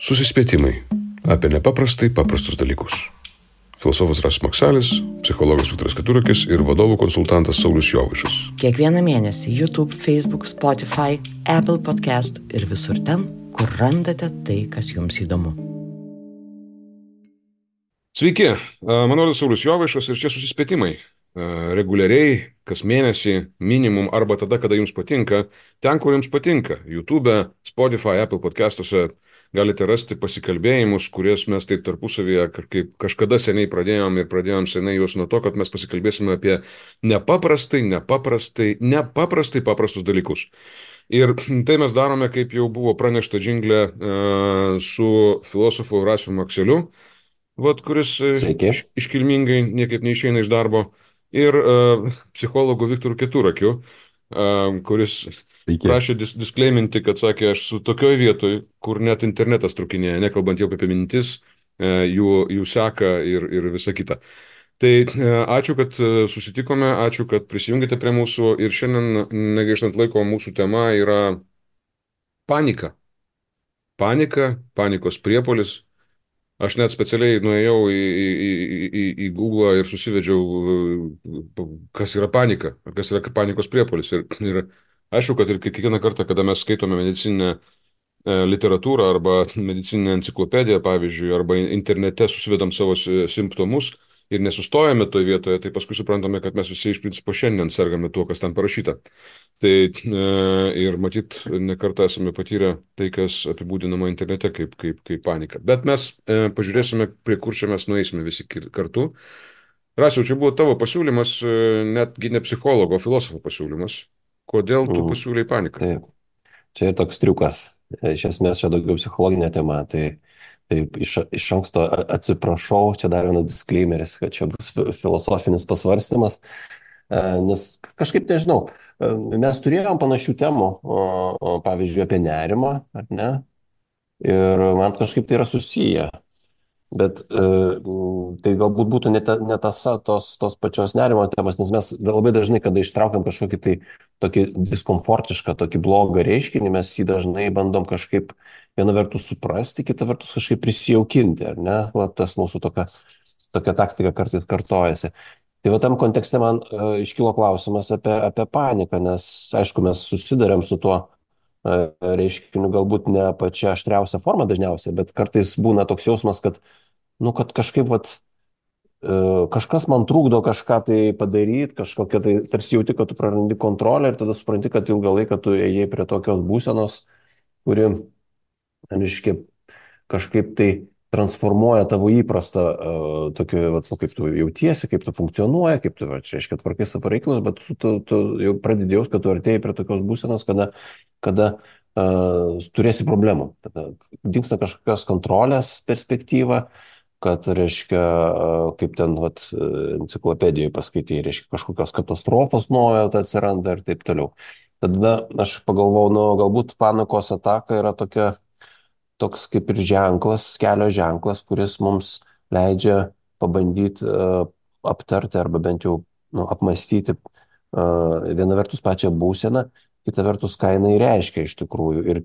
Susispėtimai apie nepaprastai paprastus dalykus. Filosofas Rasas Maksalis, psichologas Viktoras Keturakis ir vadovų konsultantas Saulius Jovaišas. Kiekvieną mėnesį YouTube, Facebook, Spotify, Apple Podcast ir visur ten, kur randate tai, kas jums įdomu. Sveiki, mano vardas Saulius Jovaišas ir čia susispėtimai. Reguliariai, kas mėnesį, minimum arba tada, kada jums patinka, ten, kur jums patinka. YouTube, Spotify, Apple podcastuose galite rasti pasikalbėjimus, kuriuos mes taip tarpusavyje kaip kažkada seniai pradėjom seniai juos nuo to, kad mes pasikalbėsime apie nepaprastai paprastus dalykus. Ir tai mes darome, kaip jau buvo pranešta džingle, su filosofu Rasiu Makseliu, kuris iškilmingai niekaip neišeina iš darbo, ir psichologu Viktoru Keturakiu, kuris prašė disklaiminti, kad sakė, aš su tokioj vietoj, kur net internetas trukinėja, nekalbant jau apie mintis, jų seka ir visa kita. Tai ačiū, kad susitikome, ačiū, kad prisijungėte prie mūsų ir šiandien, negaištant laiko, mūsų tema yra panika. Panikos priepuolis. Aš net specialiai nuėjau į Google ir susivedžiau, kas yra panika, kas yra panikos priepuolis. Ir aišku, kad ir kiekvieną kartą, kada mes skaitome medicininę literatūrą arba medicininę enciklopediją, pavyzdžiui, arba internete susivedam savo simptomus ir nesustojame toje vietoje, tai paskui suprantame, kad mes visi iš principo šiandien sergame tuo, kas ten parašyta. Tai ir matyt, nekartą esame patyrę tai, kas apibūdinama internete kaip panika. Bet mes pažiūrėsime, prie kur čia mes nueisime visi kartu. Rasiau, čia buvo tavo pasiūlymas, netgi ne psichologo, o filosofo pasiūlymas. Kodėl tu pasiūlei paniką? Taip, čia ir toks triukas. Iš esmės čia daugiau psichologinė tema. Tai iš anksto atsiprašau, čia dar vienas disclaimeris, kad čia bus filosofinis pasvarstymas. Nes kažkaip nežinau, mes turėjom panašių temų, pavyzdžiui, apie nerimą, ar ne? Ir man kažkaip tai yra susiję. Bet tai galbūt būtų ne tąsa tos pačios nerimo temas, nes mes labai dažnai, kada ištraukiam kažkokį tai tokį diskomfortišką, tokį blogą reiškinį, mes jį dažnai bandom kažkaip viena vertus suprasti, kita vertus kažkaip prisijaukinti, ar ne? Tas mūsų tokia taktika kartais kartojasi. Tai tam kontekste man iškilo klausimas apie paniką, nes aišku, mes susidarėm su tuo reiškiniu galbūt ne pačia aštriausia forma dažniausiai, bet kartais būna toks jausmas, kad kažkaip kažkas man trukdo kažką tai padaryti, kažkokia tai tarsi jauti, kad tu prarandi kontrolę ir tada supranti, kad ilgą laiką tu ėjai prie tokios būsenos, kuri, reiškia, kažkaip tai transformuoja tavo įprastą tokį, kaip tu jautiesi, kaip tu funkcionuoja, kaip tu, reiškia, tvarkai savo reikalus, bet tu jau pradėdėjus, kad tu artėjai prie tokios būsenos, kada turėsi problemų. Tada dingsta kažkokios kontrolės perspektyva, kad, reiškia, kaip ten enciklopedijoje paskaitai, reiškia, kažkokios katastrofos nuojauta atsiranda ir taip toliau. Tada aš pagalvojau, galbūt panikos ataka yra toks kaip ir ženklas, kelio ženklas, kuris mums leidžia pabandyti aptarti arba bent jau apmastyti viena vertus pačią būseną, kita vertus, ką jinai reiškia iš tikrųjų ir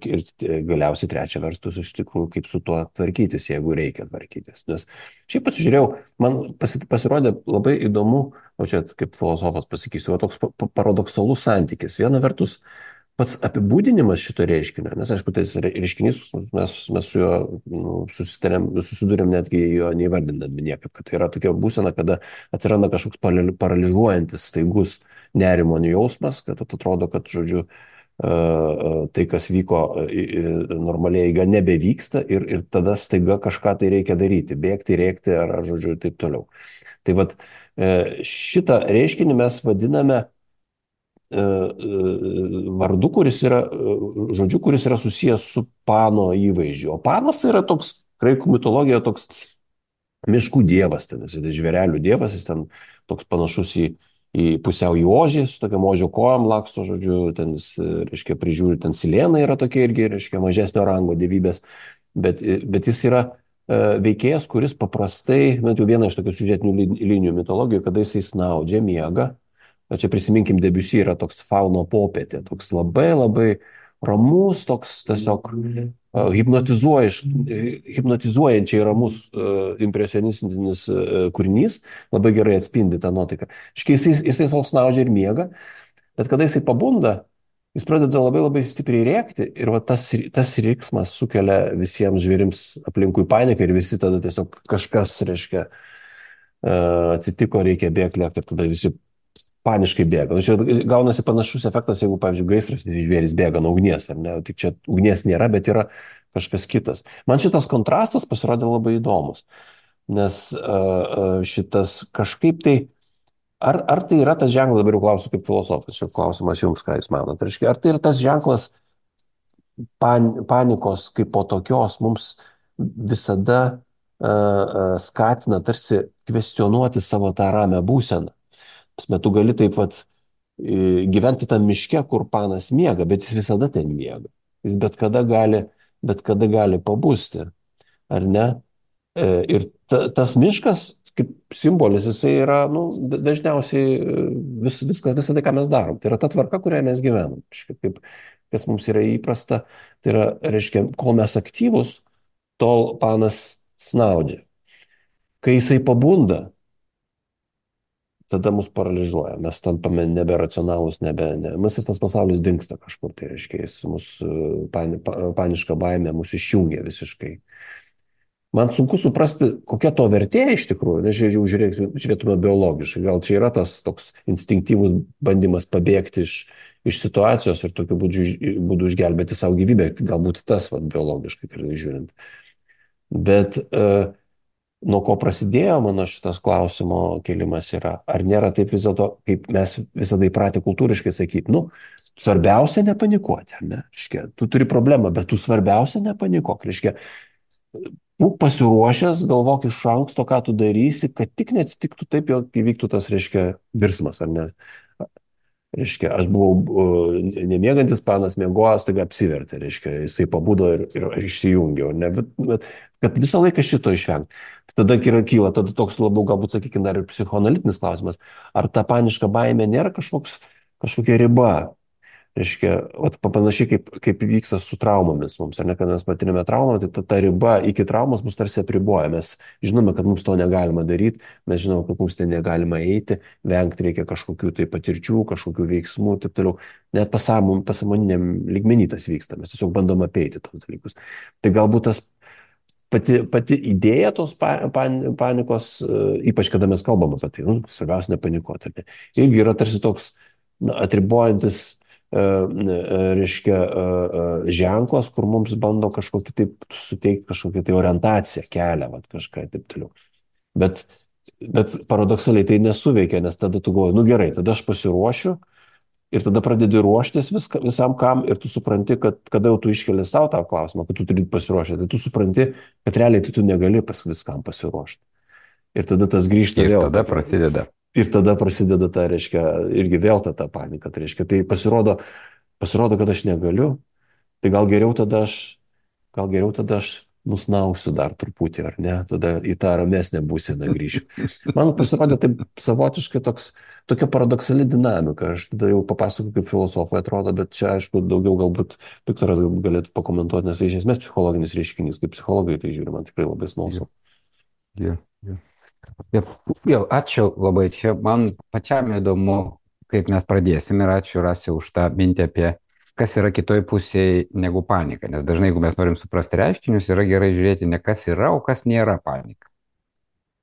galiausiai trečia vertus iš tikrųjų, kaip su tuo tvarkytis, jeigu reikia tvarkytis. Nes šiaip pasižiūrėjau, man pasirodė labai įdomu, o čia kaip filosofas pasakysiu, toks paradoksalus santykis. Viena vertus, pats apibūdinimas šito reiškinio, nes aišku, tai reiškinys, mes su juo susidurėm netgi jo neįvardindami niekaip, kad tai yra tokia būsena, kada atsiranda kažkoks paralyžuojantis staigus nerimo jausmas, kad atrodo, kad, žodžiu, tai, kas vyko normaliai eiga, nebevyksta ir tada staiga kažką tai reikia daryti, bėgti, rėkti ar žodžiu, ir taip toliau. Tai šitą reiškinį mes vadiname vardu, kuris yra susijęs su Pano įvaizdžiu. O Panas yra toks, graikų mitologija, toks miškų dievas, ten žvėrelių dievas, jis ten toks panašus į pusiau į ožį, su tokiam ožio kojom laksto, žodžiu, ten jis, reiškia, prižiūri, ten Silena yra tokia irgi, reiškia, mažesnio rango dievybės, bet jis yra veikėjas, kuris paprastai, bent jau viena iš tokių siužetinių linijų mitologijų, kada jisai snaudžia, miega. Čia prisiminkim, Debussy yra toks Fauno popietė, toks labai labai ramus, toks tiesiog hipnotizuojančiai ramus impresionistinis kūrinys, labai gerai atspindi tą nuotaiką. Jisai savo snaudžia ir miega, bet kada jisai pabunda, jis pradeda labai labai stipriai rėkti ir va, tas riksmas sukelia visiems žvėrims aplinkui paniką ir visi tada tiesiog kažkas, reiškia, atsitiko, reikia bėgti, ir tada visi paniškai bėga. Nu, čia gaunasi panašus efektas, jeigu, pavyzdžiui, gaisras ir žvėris bėga nuo ugnies, ar ne? Tik čia ugnies nėra, bet yra kažkas kitas. Man šitas kontrastas pasirodė labai įdomus, nes šitas kažkaip tai, ar tai yra tas ženklas, dabar jau klausiu kaip filosofas, šio klausimas jums, ką jūs manote, reiškia, ar tai yra tas ženklas panikos kaip po tokios mums visada skatina tarsi kvestionuoti savo tą ramią būseną. Tu gali taip vat gyventi tam miške, kur panas miega, bet jis visada ten miega. Jis bet kada gali pabusti, ar ne? Ir tas miškas, kaip simbolis, jisai yra, nu, dažniausiai visada, ką mes darom. Tai yra ta tvarka, kurioje mes gyvenam. Kaip, kas mums yra įprasta, tai yra, reiškia, kol mes aktyvus, tol panas snaudžia. Kai jisai pabunda, tada mus paralyžiuoja, mes tampame neberacionalūs, visas tas pasaulis dingsta kažkur, tai reiškia, paniška baimė mus išjungia visiškai. Man sunku suprasti, kokia to vertė iš tikrųjų, nes jau žiūrėtume biologiškai, gal čia yra tas toks instinktyvus bandymas pabėgti iš situacijos ir tokiu būdu išgelbėti savo gyvybę, galbūt tas biologiškai žiūrint. Bet nuo ko prasidėjo mano šitas klausimo kelimas yra, ar nėra taip vis dėlto, kaip mes visada įpratę kultūriškai sakyti, nu, svarbiausia nepanikuoti, ar ne? Reiškia, tu turi problemą, bet tu svarbiausia nepanikuok, reiškia, būk pasiruošęs, galvok iš anksto, ką tu darysi, kad tik neatsitiktų taip, jog įvyktų tas, reiškia, virsmas, ar ne? Reiškia, aš buvau nemiegantis, panas miegojo, staiga apsivertė, reiškia, jisai pabudo ir išsijungė, ne? Bet kad visą laiką šito išvengti. Tada kyla toks labiau, galbūt, sakykime, dar ir psichoanalitinis klausimas, ar ta paniška baimė nėra kažkokia riba. Reiškia, panašiai kaip vyksta su traumomis mums, ar ne, kad mes patirime traumą, tai ta riba iki traumos mus tarsi apriboja. Mes žinome, kad mums to negalima daryti, mes žinome, kad mums ten negalima eiti, vengti reikia kažkokių tai patirčių, kažkokių veiksmų, taip toliau. Net pasąmoniniam lygmenį tas vyksta, mes tiesiog bandom apeiti tos dalykus. Tai galbūt tas pati idėja tos panikos, ypač kada mes kalbam apie tai, svarbiausia nepanikuoti, irgi yra tarsi toks atribojantis, reiškia, ženklas, kur mums bando kažkokį taip suteikti kažkokią tai orientaciją, kelią, kažką taip toliau. Bet paradoksaliai tai nesuveikia, nes tada tu galvoji, nu gerai, tada aš pasiruošiu ir tada pradedi ruoštis visam kam ir tu supranti, kad kada jau tu iškeli savo tą klausimą, kad tu turi pasiruošti, tai tu supranti, kad realiai tai tu negali viskam pasiruošti. Ir tada tas grįžta vėl. Ir tada prasideda ta, reiškia, irgi vėl ta panika. Tai reiškia, tai pasirodo, kad aš negaliu, tai gal geriau tada aš nusnausiu dar truputį, ar ne, tada į tą ramesnę būseną grįšiu. Man pasirodė taip savotiškai tokia paradoksali dinamika. Aš tada jau papasakoju, kaip filosofai atrodo, bet čia, aišku, daugiau galbūt Viktoras galėtų pakomentuoti, nes tai iš esmės psichologinis reiškinys, kaip psichologai tai žiūri, man tikrai labai smalsu. Jau, ačiū labai. Čia man pačiam įdomu, kaip mes pradėsim ir ačiū Rasiu už tą mintį apie kas yra kitoj pusėje negu panika. Nes dažnai, jeigu mes norim suprasti reiškinius, yra gerai žiūrėti ne kas yra, o kas nėra panika.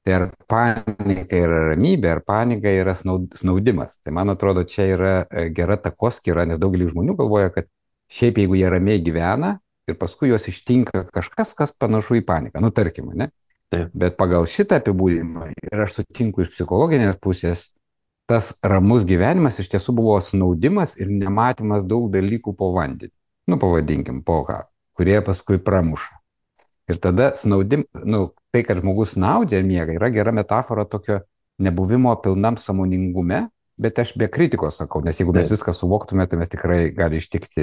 Tai ar panika yra ramybė, ar panika yra snaudimas. Tai man atrodo, čia yra gera takoskyra, nes daugelis žmonių galvoja, kad šiaip jeigu jie ramiai gyvena ir paskui juos ištinka kažkas, kas panašu į paniką. Nu, tarkim, ne? Bet pagal šitą apibūdinimą, ir aš sutinku iš psichologinės pusės, tas ramus gyvenimas iš tiesų buvo snaudimas ir nematymas daug dalykų po vandeniu. Nu, pavadinkim, po ką, kurie paskui pramuša. Ir tada tai, kad žmogus snaudžia ir miega, yra gera metafora tokio nebuvimo pilnam sąmoningume, bet aš be kritikos sakau, nes jeigu mes viską suvoktume, tai mes tikrai gali ištikti,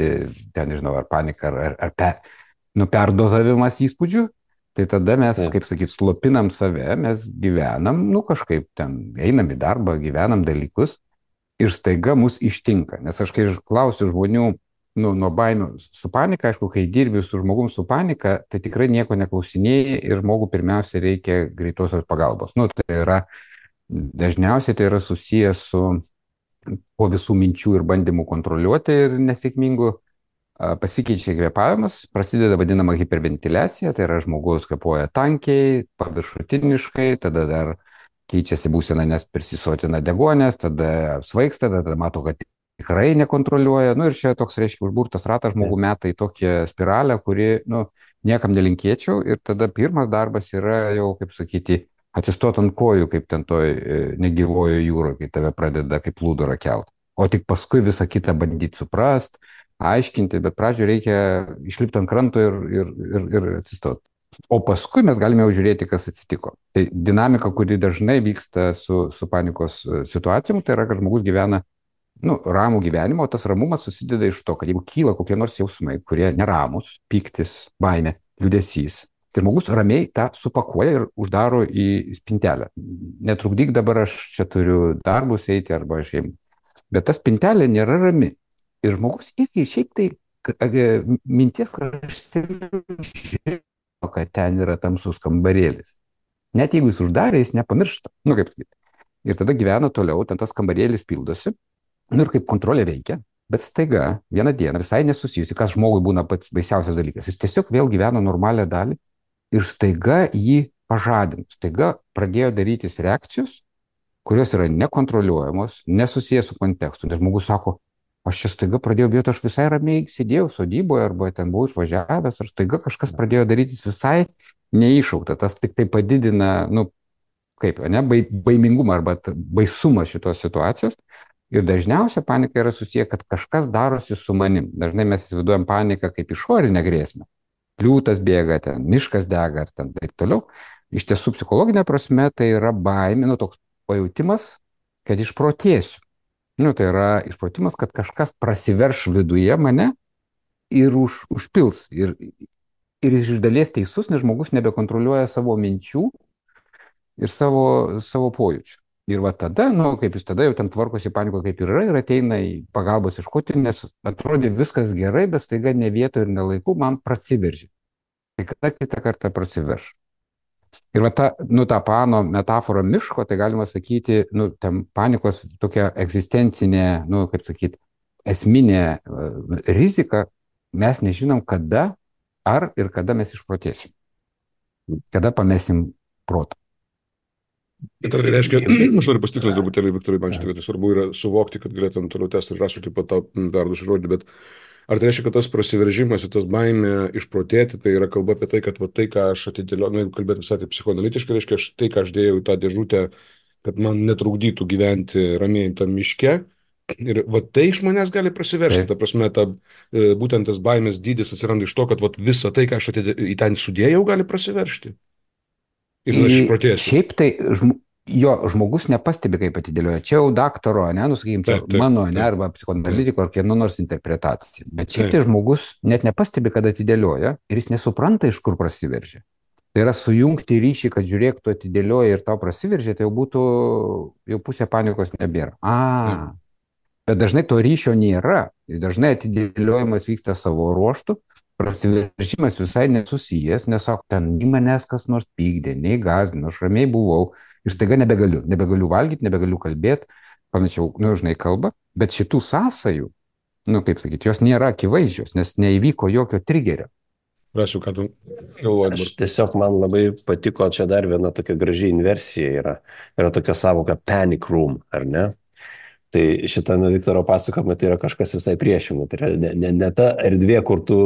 ten nežinau, ar panika, ar perdozavimas įspūdžių. Tai tada mes, kaip sakyt, slopinam save, mes gyvenam, kažkaip ten einam į darbą, gyvenam dalykus ir staiga mus ištinka. Nes aš kai klausiu žmonių, nuo baimių su panika, aišku, kai dirbi su žmogum su panika, tai tikrai nieko neklausinėjai ir žmogų pirmiausia reikia greitosios pagalbos. Tai yra, dažniausiai tai yra susijęs su po visų minčių ir bandymų kontroliuoti ir nesėkmingų pasikeičia kvėpavimas, prasideda vadinama hiperventiliacija, tai yra žmogus kvėpuoja tankiai, paviršutiniškai, tada dar keičiasi būsena, nes prisisotina degonės, tada svaigsta, tada mato, kad tikrai nekontroliuoja. Ir čia toks, reiškia, užburtas ratas žmogų meta į tokią spiralę, kuri, niekam nelinkėčiau. Ir tada pirmas darbas yra jau, kaip sakyti, atsistot ant kojų, kaip ten toj negyvojo jūroje, kai tave pradeda kaip plūdurą kelt. O tik paskui visą kitą bandyti suprast, aiškinti, bet pradžioje reikia išlipti ant kranto ir atsistoti. O paskui mes galime jau žiūrėti, kas atsitiko. Tai dinamika, kuri dažnai vyksta su panikos situacijom, tai yra, kad žmogus gyvena ramų gyvenimą, o tas ramumas susideda iš to, kad jeigu kyla kokie nors jausmai, kurie neramus, pyktis, baimė, liūdesys, tai žmogus ramiai tą supakuoja ir uždaro į spintelę. Netrukdyk dabar, aš čia turiu darbus eiti arba aš jiem. Bet ta spintelė nėra rami. Ir žmogus irgi šiaip tai minties krašteliu, kad ten yra tamsus kambarėlis. Net jeigu jis uždarė, jis nepamiršta. Kaip sakyti. Ir tada gyvena toliau, ten tas kambarėlis pildosi. Ir kaip kontrolė veikia, bet staiga vieną dieną visai nesusijusi, kas žmogui būna pats baisiausias dalykas. Jis tiesiog vėl gyvena normalią dalį ir staiga jį pažadino. Staiga pradėjo darytis reakcijos, kurios yra nekontroliuojamos, nesusijęs su kontekstu. Nes žmogus sako, aš čia staiga pradėjau bijoti, aš visai ramiai sėdėjau sodyboje arba ten buvau išvažiavęs, ir staiga kažkas pradėjo darytis visai neiššaukta. Tas tik tai padidina, baimingumą arba baisumą šitos situacijos. Ir dažniausia panika yra susiję, kad kažkas darosi su manim. Dažnai mes įsivaizduojam paniką kaip išorinę grėsmę. Liūtas bėga, ten miškas dega ir ten taip toliau. Iš tiesų, psichologinė prasme, tai yra baimė, toks pajautimas, kad išprotėsiu. Tai yra išprotimas, kad kažkas prasiverš viduje mane ir užpils. Ir iš dalies teisus, nes žmogus nebekontroliuoja savo minčių ir savo pojūčių. Ir tada, kaip jis tada jau ten tvarkosi paniko kaip ir yra, ir ateina į pagalbos ieškoti, nes atrodė viskas gerai, bet staiga ne vietoje ir ne laiku man prasiveržė. Tai kada kitą kartą prasiverš. Ir ta Pano metafora miško, tai galima sakyti, ten panikos tokia egzistencinė, kaip sakyti, esminė rizika, mes nežinom kada, ar ir kada mes išprotėsim. Kada pamesim protą. Tai reiškia, aš noriu pasitikslinti truputėlį, Viktorai, man šitą vietą svarbu yra suvokti, kad galėtum toliau tęsti ir rasiu taip pat tau perduosiu žodį, bet ar tai reiškia, kad tas prasiveržimas, tas baimė išprotėti, tai yra kalba apie tai, kad tai, ką aš atidėliau, jeigu kalbėti visai taip psichoanalitiškai, reiškia, tai, ką aš dėjau į tą dėžutę, kad man netrukdytų gyventi ramiai tam miške, ir tai iš manęs gali prasiversti, ta prasme, būtent tas baimės dydis atsiranda iš to, kad visą tai, ką aš į ten sudėjau, gali prasiveršti. Ir aš išprotėsiu. Šiaip tai žmogus nepastebi, kaip atidėlioja. Čia jau daktaro, mano, arba psichoanalitiko, ar kieno nors interpretacija. Bet šiaip tai žmogus net nepastebi, kad atidėlioja ir jis nesupranta, iš kur prasiveržia. Tai yra sujungti ryšį, kad žiūrėk, tu atidėlioji ir tau prasiveržia, tai jau pusė panikos nebėra. Bet dažnai to ryšio nėra. Dažnai atidėliojimas vyksta savo ruoštų. Prasiveržimas visai nesusijęs, nes ten nei manęs kas nors pykdė, nei gąsdino, aš ramiai buvau ir staiga nebegaliu valgyti, nebegaliu kalbėti, panašiau, kalba, bet šitų sąsajų, kaip sakyti, jos nėra akivaizdžios, nes neįvyko jokio trigerio. Rasiu, ką tu galvoji. Aš tiesiog man labai patiko, čia dar viena tokia graži inversija yra tokia savoka panic room, ar ne? Tai šitame Viktoro pasakojime tai yra kažkas visai priešingo. Tai yra ne ta erdvė, kur tu,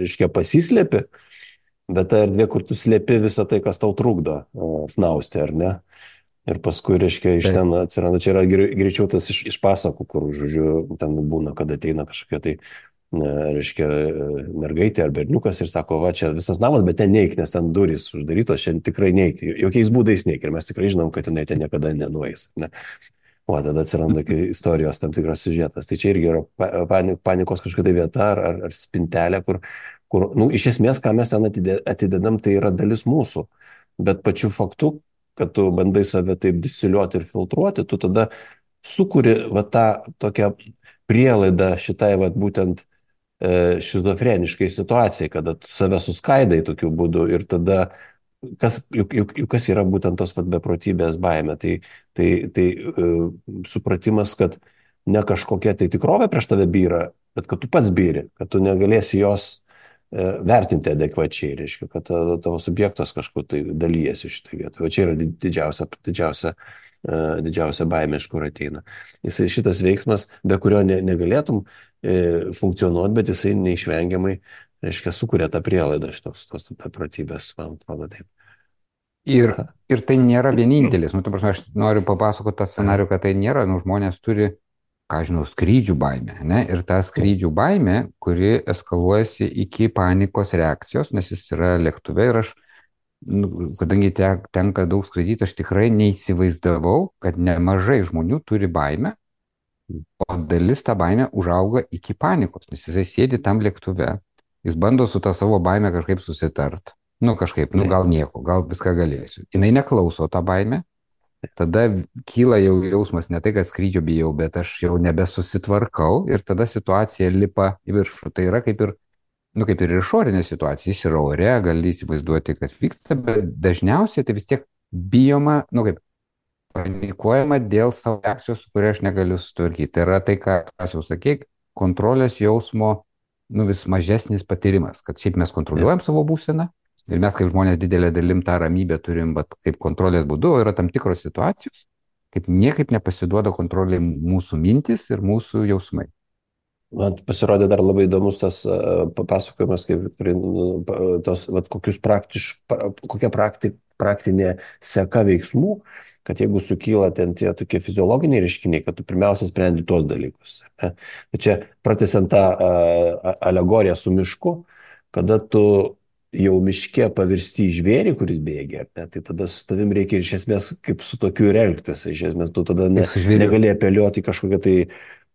reiškia, pasislėpi, bet ta erdvė, kur tu slėpi visą tai, kas tau trukdo snausti, ar ne? Ir paskui, reiškia, iš ten atsiranda, čia yra greičiau tas iš pasakų, kur, žodžiu, ten būna, kad ateina kažkokia tai, reiškia, mergaitė ar berniukas ir sako, va, čia visas namas, bet ten neik, nes ten durys uždarytos, čia tikrai neik, jokiais būdais neik. Ir mes tikrai žinom, kad jinai ten niekada nenueis, ne? O tada atsiranda istorijos tam tikras siužetas. Tai čia irgi yra panikos kažkokia vieta ar spintelė, kur iš esmės, ką mes ten atidedam, tai yra dalis mūsų. Bet pačiu faktu, kad tu bandai save taip disiliuoti ir filtruoti, tu tada sukuri tą tokią prielaidą šitai būtent šizofreniškai situacijai, kada tu save suskaidai tokiu būdu ir tada juk kas yra būtent tos vat, beprotybės baime. Tai supratimas, kad ne kažkokia tai tikrovė prieš tave byra, bet kad tu pats byri, kad tu negalėsi jos vertinti adekvačiai, reiškia, kad tavo subjektas kažkur tai dalyjasi šitoje vietoje. O čia yra didžiausia baimė, iš kur ateina. Šitas veiksmas, be kurio negalėtum funkcionuoti, bet jisai neišvengiamai, reiškia, sukuria tą prielaidą tos beprotybės, man atrodo taip. Ir, ir tai nėra vienintelis. Nu, ta prasme, aš noriu papasakoti tą scenarių, kad tai nėra, nu, žmonės turi, ką žinau, skrydžių baimę, ne? Ir ta skrydžių baimė, kuri eskaluojasi iki panikos reakcijos, nes jis yra lėktuve ir aš, nu, kadangi tenka daug skraidyti, aš tikrai neįsivaizdavau, kad nemažai žmonių turi baimę, o dalis tą baimę užauga iki panikos, nes jisai sėdi tam lėktuve, jis bando su tą savo baimę kažkaip susitart. Nu kažkaip, nu gal nieko, gal viską galėsiu. Jinai neklauso tą baimę, tada kyla jau jausmas ne tai, kad skrydžio bijau, bet aš jau nebesusitvarkau ir tada situacija lipa į viršų. Tai yra kaip ir, nu kaip ir išorinė situacija, jis yra ore, gali įsivaizduoti, kas vyksta, bet dažniausiai tai vis tiek bijoma, nu kaip, panikuojama dėl savo reakcijos, su kuria aš negaliu sutvarkyti. Tai yra tai, ką aš jau sakė, kontrolės jausmo, nu vis mažesnis patyrimas, kad šiaip mes kontroliuojam savo būseną. Ir mes kaip žmonės didelė dalim tą ramybę turim, bet kaip kontrolės būdu yra tam tikros situacijos, kaip niekaip nepasiduoda kontrolė mūsų mintis ir mūsų jausmai. Man pasirodė dar labai įdomus tas papasakojimas, kaip tos, kokia praktinė seka veiksmų, kad jeigu sukyla ten tie tokie fiziologiniai reiškiniai, kad tu pirmiausia sprendi tuos dalykus. Ne? Čia pratęsiant tą alegoriją su mišku, kada tu jau miške pavirsti į žvėrį, kuris bėgia, ne? Tai tada su tavim reikia iš esmės kaip su tokiu ir elgtis. Iš esmės tu tada negali apeliuoti kažkokią tai,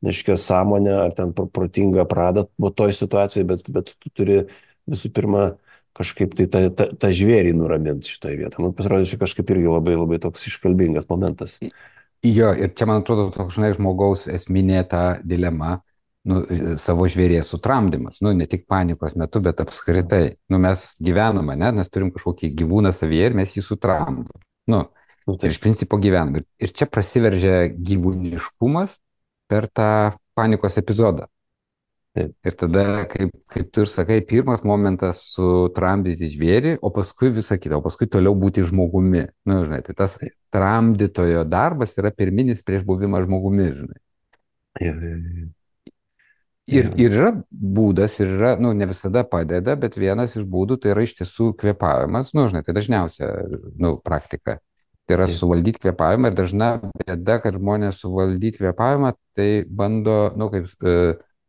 neaiškia, sąmonę ar ten protingą pradą toj situacijoje, bet tu turi visų pirma kažkaip tai tą žvėrį nuraminti šitoje vietoje. Man pasirodė, čia kažkaip irgi labai, labai toks iškalbingas momentas. Jo, ir čia man atrodo toks, žinai, žmogaus esminė ta dilema, nu, savo žvėries sutramdymas, nu, ne tik panikos metu, bet apskritai, nu, mes gyvename, ne, mes turim kažkokį gyvūną savyje ir mes jį sutramdom, nu, ir iš principo gyvenam. Ir čia prasiveržia gyvūniškumas per tą panikos epizodą. Ir tada, kaip tu ir sakai, pirmas momentas sutramdyti žvėrį, o paskui visą kitą, o paskui toliau būti žmogumi. Nu, žinai, tai tas tramdytojo darbas yra pirminis prieš buvimą žmogumi, žinai. Ir yra būdas, ir yra, nu, ne visada padeda, bet vienas iš būdų tai yra iš tiesų kvėpavimas, nu, žinai, tai dažniausia, nu, praktika. Tai yra suvaldyti kvėpavimą ir dažna bėda, kad žmonės suvaldyti kvėpavimą, tai bando, nu, kaip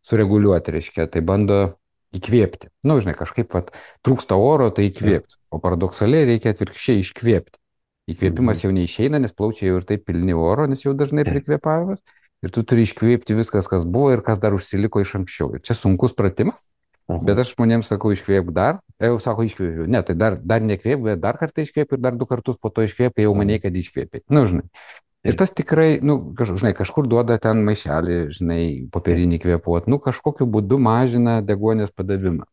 sureguliuoti, reiškia, tai bando įkvėpti. Nu, žinai, kažkaip, vat, trūksta oro, tai įkvėpti, o paradoksaliai reikia atvirkščiai iškvėpti. Įkvėpimas jau neišeina, nes plaučiai jau ir taip pilni oro, nes jau dažnai prikvėpavimas. Ir tu turi iškvėpti viskas, kas buvo ir kas dar užsiliko iš anksčiau. Ir čia sunkus pratimas, bet aš žmonėms sakau, iškvėpk dar. Jau sako, iškvėpiu. Ne, tai dar nekvėpk, bet dar kartą iškvėpk ir dar 2 kartus po to iškvėpk, jau maniai, kad iškvėpė. Nu, žinai. Ir tas tikrai, nu, žinai, kažkur duoda ten maišelį, žinai, popierinį kvėpuot. Nu, kažkokiu būdu mažina deguonies padavimą.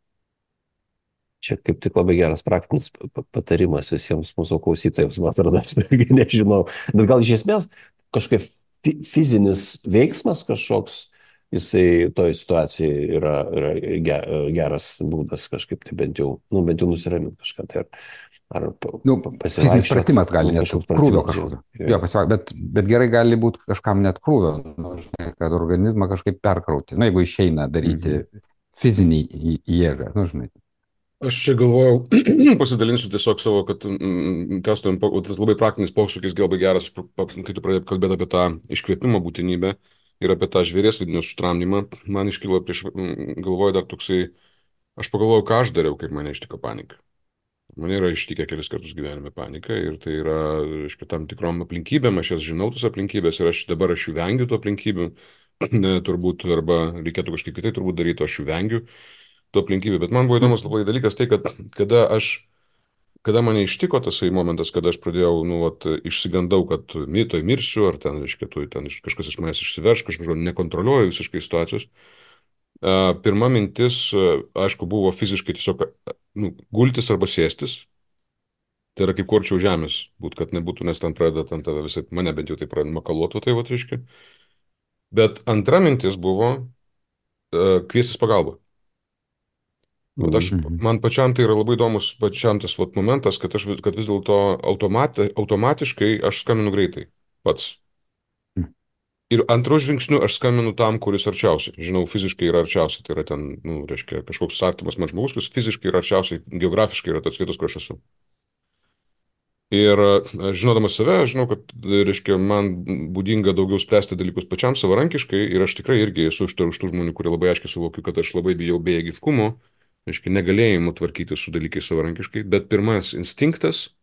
Čia kaip tik labai geras praktinis patarimas visiems mūsų klausytojams, man atrodo, aš nežinau. Bet gal iš esmės kažkaip fizinis veiksmas kažkoks, jisai toj situacijai yra geras būdas kažkaip tai bent jau nusiraminti kažką. Tai ar fizinis pratimas gali net krūvio kažkokio. Jo, bet gerai gali būti kažkam net krūvio, nu, žinai, kad organizmą kažkaip perkrauti, nu, jeigu išeina daryti fizinį jėgą, nu, žinai. Aš čia galvojau, pasidalinsiu tiesiog savo, kad testum, tas labai praktinis posūkis, labai geras, kai tu pradėjai kalbėti apie tą iškvėpimo būtinybę ir apie tą žvėries vidinio sutramdymą. Man iškilo galvoju dar toksai, aš pagalvojau, ką aš dariau, kaip mane ištiko panika. Mane yra ištikę kelis kartus gyvenime panika ir tai yra, aišku, tam tikrom aplinkybėm, aš jas žinau, tos aplinkybės ir dabar aš jų vengiu tų aplinkybių, turbūt, arba reikėtų kažkaip kitai turbūt daryti, aš jų vengiu tų aplinkybių. Bet man buvo įdomus labai dalykas tai, kad kada mane ištiko tasai momentas, kada aš pradėjau, nu, išsigandau, kad mirsiu, ar ten, reiškia, ten kažkas iš manęs išsiverš, kažkokio nekontroliuoju visiškai situacijos. Pirma mintis, aišku, buvo fiziškai tiesiog gultis arba sėstis. Tai yra kaip kuo arčiau žemės, būt, kad nebūtų, nes ten pradeda, ten tave visai, mane bent jau tai pradeda makaluoti, tai va, reiškia. Bet antra mintis buvo kviestis pagalbą. Bet Mhm. man pačiam tai yra labai įdomus pačiam tas vat, momentas, kad vis dėlto automatiškai aš skambinu greitai pats. Ir antru žingsniu aš skambinu tam, kuris arčiausiai. Žinau, fiziškai yra arčiausiai. Tai yra ten, reiškia, kažkoks artimas man žmogus, kuris fiziškai yra arčiausiai, geografiškai yra tas vietos, kur aš esu. Ir žinodamas save, aš žinau, kad, reiškia, man būdinga daugiau spręsti dalykus pačiam savarankiškai ir aš tikrai irgi esu iš tų žmonių, kurie labai aiškiai suvokiu, kad aš labai bijau bejėgiškumo, reiškia, negalėjimo tvarkyti su dalykais savarankiškai, bet pirmas instinktas,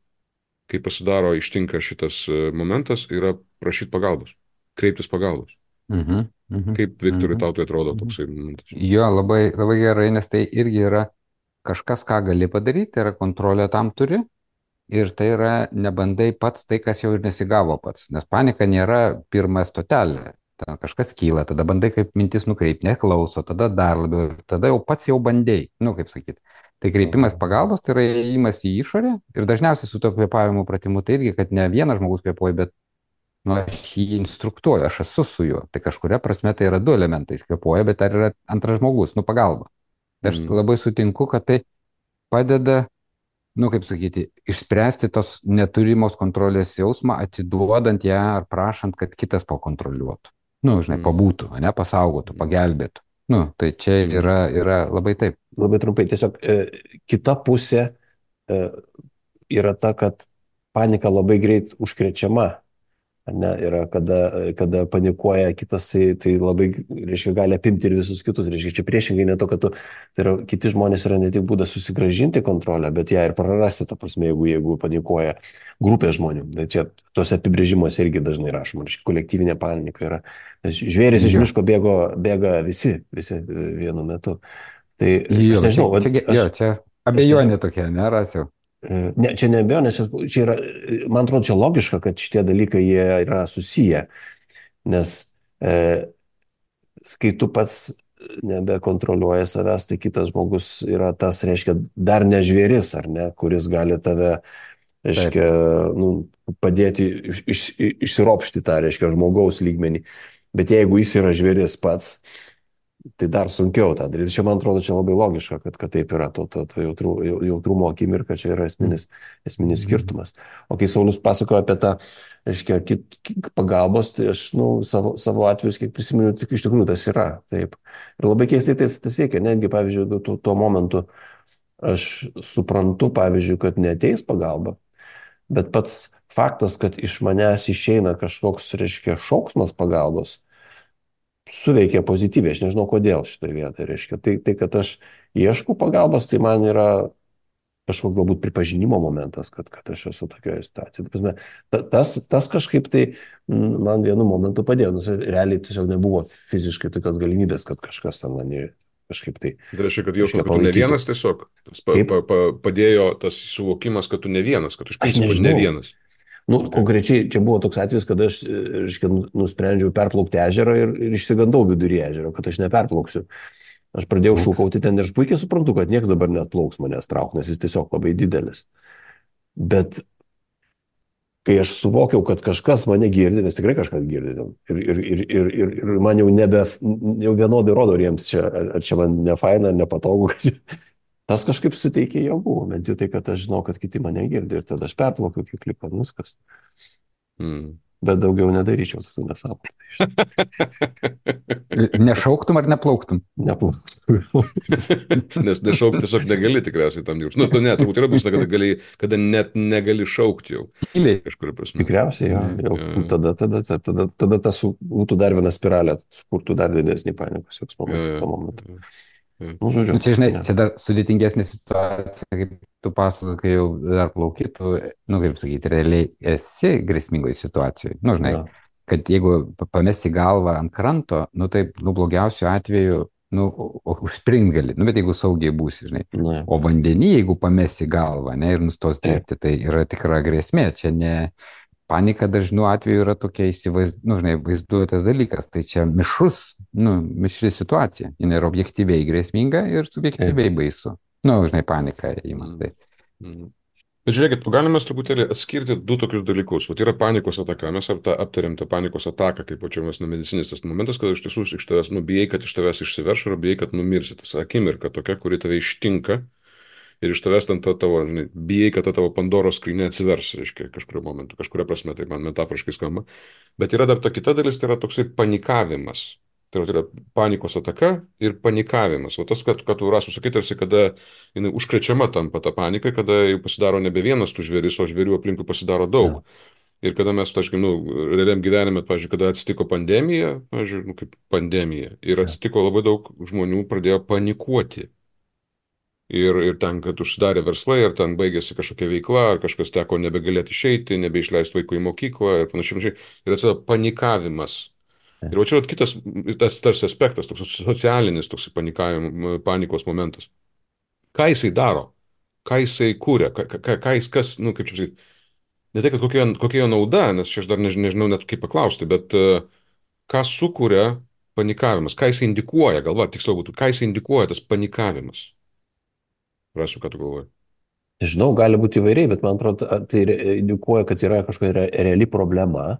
kai pasidaro, ištinka šitas momentas, yra prašyti pagalbos, kreiptis pagalbos. Mhm. Mhm. Kaip, Viktorai, Mhm. tau tai atrodo Mhm. toksai momentas? Jo, labai, labai gerai, nes tai irgi yra kažkas, ką gali padaryti, tai yra kontrolė tam turi. Ir tai yra nebandai pats tai, kas jau ir nesigavo pats. Nes panika nėra pirma stotelė. Ten kažkas kyla, tada bandai kaip mintis nukreipti, neklauso, tada dar labiau, tada jau pats jau bandai, kaip sakyti. Tai kreipimas pagalbos, tai yra įėjimas į išorę ir dažniausiai su to kvėpavimo pratimu tai irgi, kad ne vienas žmogus kvėpuoja, bet aš jį instruktuoju, aš esu su juo. Tai kažkuria prasme tai yra du elementai, jis kvėpuoja, bet dar yra antras žmogus, pagalba. Tai aš Mm. labai sutinku, kad tai padeda kaip sakyti, išspręsti tos neturimos kontrolės jausmą, atiduodant ją ar prašant, kad kitas pakontroliuotų. Žinai, Mm. pabūtų, pasaugotų, pagelbėtų. Tai čia Mm. yra labai taip. Labai trumpai, tiesiog kita pusė yra ta, kad panika labai greit užkrečiama. Ne, yra, kada panikuoja kitas, tai labai, reiškia, gali apimti ir visus kitus. Reiškia, čia priešingai ne to, kad tai yra, kiti žmonės yra ne tik būdas susigražinti kontrolę, bet ją ir prarasti, ta prasme, jeigu panikuoja grupė žmonių. Tai čia tos apibrėžimuose irgi dažnai rašoma, reiškia, kolektyvinė panika yra. Nes žvėris iš Jo. miško bėga visi vienu metu. Tai Jo, aš nežinau, čia abejonė tokia, nerasiu. Ne, čia nebejo, nes čia yra, man atrodo, čia logiška, kad šitie dalykai jie yra susiję, nes kai tu pats nebekontroliuoji savęs, tai kitas žmogus yra tas, reiškia, dar ne žvėris, ar ne, kuris gali tave, reiškia, padėti išsiropšti tą, reiškia, žmogaus lygmenį. Bet jeigu jis yra žvėris pats, tai dar sunkiau tą daryti. Čia, man atrodo, čia labai logiška, kad taip yra, to jautrumo akimirka, čia yra esminis skirtumas. O kai Saulius pasakojo apie tą, reiškia, pagalbos, tai aš, savo atvejus, kiek prisimenu, tik iš tikrųjų tas yra. Taip. Ir labai keistai tas veikia, netgi, pavyzdžiui, tuo momentu aš suprantu, pavyzdžiui, kad neateis pagalba, bet pats faktas, kad iš manęs išeina kažkoks, reiškia, šauksmas pagalbos, suveikia pozityviai, aš nežinau kodėl šitoje vietoje, reiškia. Tai, kad aš ieškau pagalbos, tai man yra kažkoks galbūt pripažinimo momentas, kad aš esu tokioje situacijoje. Tas kažkaip tai man vienu momentu padėjo, nes realiai tiesiog nebuvo fiziškai tokios galimybės, kad kažkas ten mane kažkaip tai... Tai reiškia, kad jausmas, kad tu ne vienas tiesiog, padėjo tas suvokimas, kad tu ne vienas, kad tu iš principo ne vienas. Konkrečiai čia buvo toks atvejis, kad aš, reiškia, nusprendžiau perplaukti ežerą ir išsigandau vidury ežero, kad aš neperplauksiu. Aš pradėjau šūkauti ten ir aš puikiai suprantu, kad niekas dabar net plauks manęs trauk, nes jis tiesiog labai didelis. Bet kai aš suvokiau, kad kažkas mane girdi, nes tikrai kažkas girdi, ir man jau vienodai rodo, ar čia man nefaina, ar nepatogu, tas kažkaip suteikė jėgų, bent jau tai, kad aš žinau, kad kiti mane girdi ir tada aš perplaukiu kaip klipą, viskas. Bet daugiau nedaryčiau, tu nesąmonė. Nešauktum ar neplauktum? Neplauktum. Nes nešaukti tiesiog negali tikriausiai tam jūrs. Turbūt yra bus, kada net negali šaukti jau. Kažkuria prasme. Tikriausiai, jau. Tada tas būtų dar viena spiralė, sukurtų dar didesnį panikos jausmą tuo momentu. Žodžiu, čia, žinai, čia dar sudėtingesnė situacija, kaip tu pasakoji, kai jau dar plauki, tu, kaip sakyti, realiai esi grėsmingoje situacijoje. Žinai, kad jeigu pamesi galvą ant kranto, tai, blogiausiu atveju, užspringt gali, bet jeigu saugiai būsi, žinai. O vandenį, jeigu pamesi galvą, ir nustos dirbti, tai yra tikra grėsmė, čia panika dažnu atveju yra tokia vaizduotas dalykas. Tai čia mišri situacija. Jis yra objektyviai grėsminga ir subjektyviai baisu. Panika įmantai. Bet žiūrėkit, galime truputėlį atskirti du tokius dalykus. Vat yra panikos ataka. Mes aptarėm tą panikos ataką, kaip čia mes medicininis tas momentas, kad iš tiesų iš tavęs, bijai, kad iš tavęs išsiverš, ar bijai, kad numirsi. Tas akimirka tokia, kuri tave ištinka ir iš tavęs ten tavo, bijai, kad ta tavo Pandoros skrynia atsivers, reiškia, kažkurio momentu, kažkuria prasme, tai man metaforiškai skamba. Bet yra dar ta kita dalis, tai yra toksai panikavimas. Tai yra panikos ataka ir panikavimas. O tas, kad tu Rasu sakai, tarsi kada jinai užkrečiama tampa ta panika, kada jau pasidaro nebe vienas tų žvėris, o žvėrių aplinkui pasidaro daug. Ir kada mes, realiam gyvenime, pavyzdžiui, kada atsitiko pandemija, kaip pandemija, ir atsitiko labai daug žmonių pradėjo panikuoti. Ir ten, kad užsidarė verslai, ir ten baigėsi kažkokia veikla, ar kažkas teko nebegalėti išeiti, nebeišleisti vaikų į mokyklą ir panašiai. Ir atsirado panikavimas. Ir va čia kitas tas aspektas, toks socialinis, toks panikos momentas. Ką jisai daro? Ką jisai kūrė? Ką jis, kaip čia sakyti, ne tai, kad kokia jo nauda, nes čia aš dar nežinau net kaip paklausti, bet ką sukuria panikavimas? Ką jisai indikuoja, tiksliau būtų, ką jisai indikuoja tas panikavimas? Rasiu, ką tu galvoji? Žinau, gali būti įvairiai, bet man atrodo, tai indikuoja, kad yra kažkokia reali problema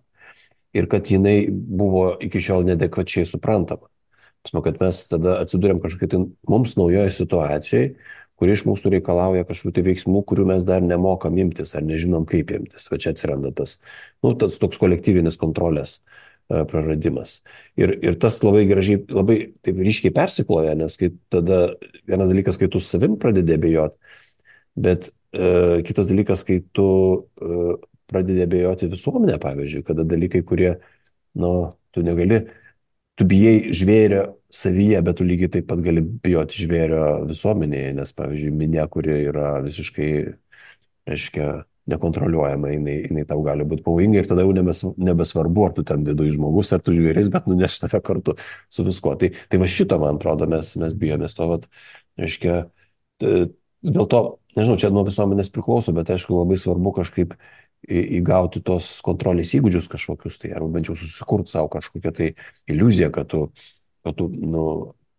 ir kad jinai buvo iki šiol nedekvačiai suprantama. Pasma, kad mes tada atsidūrėm kažkokiai tai mums naujoje situacijoje, kuri iš mūsų reikalauja kažkokių tai veiksmų, kurių mes dar nemokam imtis ar nežinom kaip imtis. Va čia atsiranda tas toks kolektyvinis kontrolės praradimas. Ir tas labai gražiai, labai taip ryškiai persikloja, nes kai tada vienas dalykas, kai tu savim pradedi abejoti, bet kitas dalykas, kai tu pradedi abejoti visuomenę, pavyzdžiui, kada dalykai, kurie, tu negali, tu bijai žvėrio savyje, bet tu lygiai taip pat gali bijoti žvėrio visuomenėje, nes, pavyzdžiui, minė, kuri yra visiškai, reiškia, nekontroliuojama, jinai tau gali būti pavojinga ir tada jau nebesvarbu, ar tu ten viduje žmogus, ar tu žvėris, bet nuneš tave kartu su viskuo. Tai va šito, man atrodo, mes bijomės to, reiškia, dėl to, nežinau, čia nuo visuomenės priklauso, bet aišku, labai svarbu kažkaip įgauti tos kontrolės įgūdžius kažkokius, tai arba bent jau susikurti savo kažkokią tai iliuziją, kad tu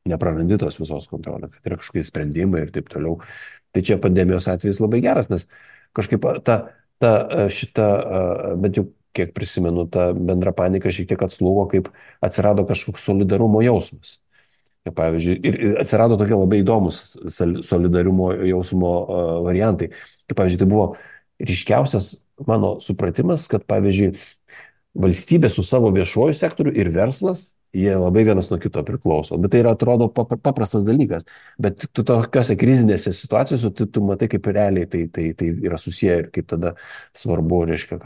neprarandi tos visos kontrolės, kad yra kažkokie sprendimai ir taip toliau. Tai čia pandemijos atvejis labai geras, nes kažkaip šita, bent jau kiek prisimenu, ta bendra panika šiek tiek atslūgo, kaip atsirado kažkoks solidarumo jausmas. Ir, pavyzdžiui, ir atsirado tokie labai įdomus solidarumo jausmo variantai. Kaip, pavyzdžiui, tai buvo ryškiausias mano supratimas, kad, pavyzdžiui, valstybė su savo viešuoju sektoriu ir verslas, jie labai vienas nuo kito priklauso. Bet tai yra, atrodo, paprastas dalykas. Bet tu tokiose krizinėse situacijose, tu matai, kaip realiai tai yra susiję ir kaip tada svarbu, reiškia,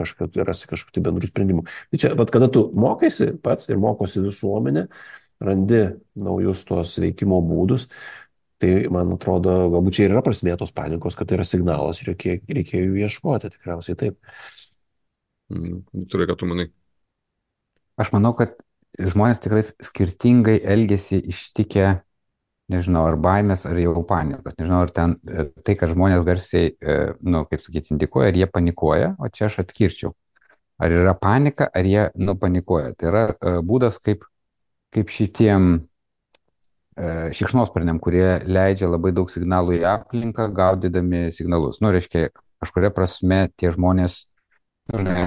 rasti kažkokių bendrų sprendimų. Tai čia, kada tu mokaisi pats ir mokosi visuomenė, randi naujus tos veikimo būdus, tai, man atrodo, galbūt čia ir yra prasmė tos panikos, kad tai yra signalas ir reikėjo jų ieškoti, tikriausiai taip. Turi, ką tu manai? Aš manau, kad žmonės tikrai skirtingai elgesi ištikę, nežinau, ar baimės, ar jau panikos. Nežinau, ar ten tai, kad žmonės garsiai, kaip sakyti, indikuoja, ar jie panikuoja, o čia aš atkirčiau. Ar yra panika, ar jie panikuoja. Tai yra būdas, kaip šitiem šikšnosparniam, kurie leidžia labai daug signalų į aplinką, gaudydami signalus. Reiškia, kažkuria prasme tie žmonės,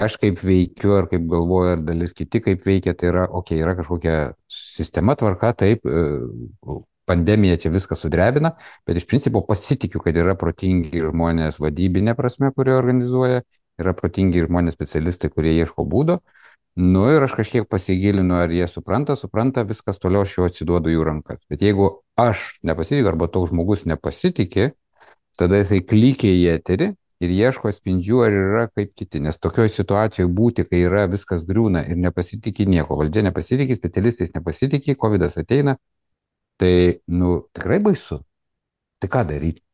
aš kaip veikiu, ar kaip galvoju, ar dalis kiti kaip veikia, tai yra, yra kažkokia sistema, tvarka, taip, pandemija čia viską sudrebina, bet iš principo pasitikiu, kad yra protingi žmonės vadybinė prasme, kurie organizuoja, yra protingi žmonės specialistai, kurie ieško būdo. Ir aš kažkiek pasigilinu, ar jie supranta, viskas toliau aš jau atsiduodu jų rankas. Bet jeigu aš nepasitikiu, arba toks žmogus nepasitikė, tada jisai klykia į eterį ir ieško atspindžių, ar yra kaip kiti. Nes tokioje situacijoje būti, kai yra viskas griūna ir nepasitikė nieko, valdžia nepasitikė, specialistais nepasitikė, COVID ateina, tai, tikrai baisu. Tai ką daryti?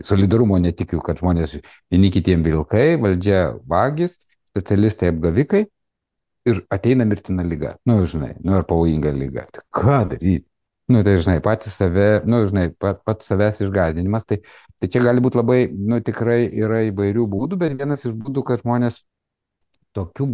Solidarumo netikiu, kad žmonės vieni kitiem vilkai, valdžia vagis, specialistai apgavikai ir ateina mirtina lyga. Ar pavojinga lyga. Tai ką daryti? Tai, patys save, pats savęs išgąsdinimas. Tai čia gali būti labai, tikrai yra įvairių būdų, bet vienas iš būdų, kad žmonės tokiu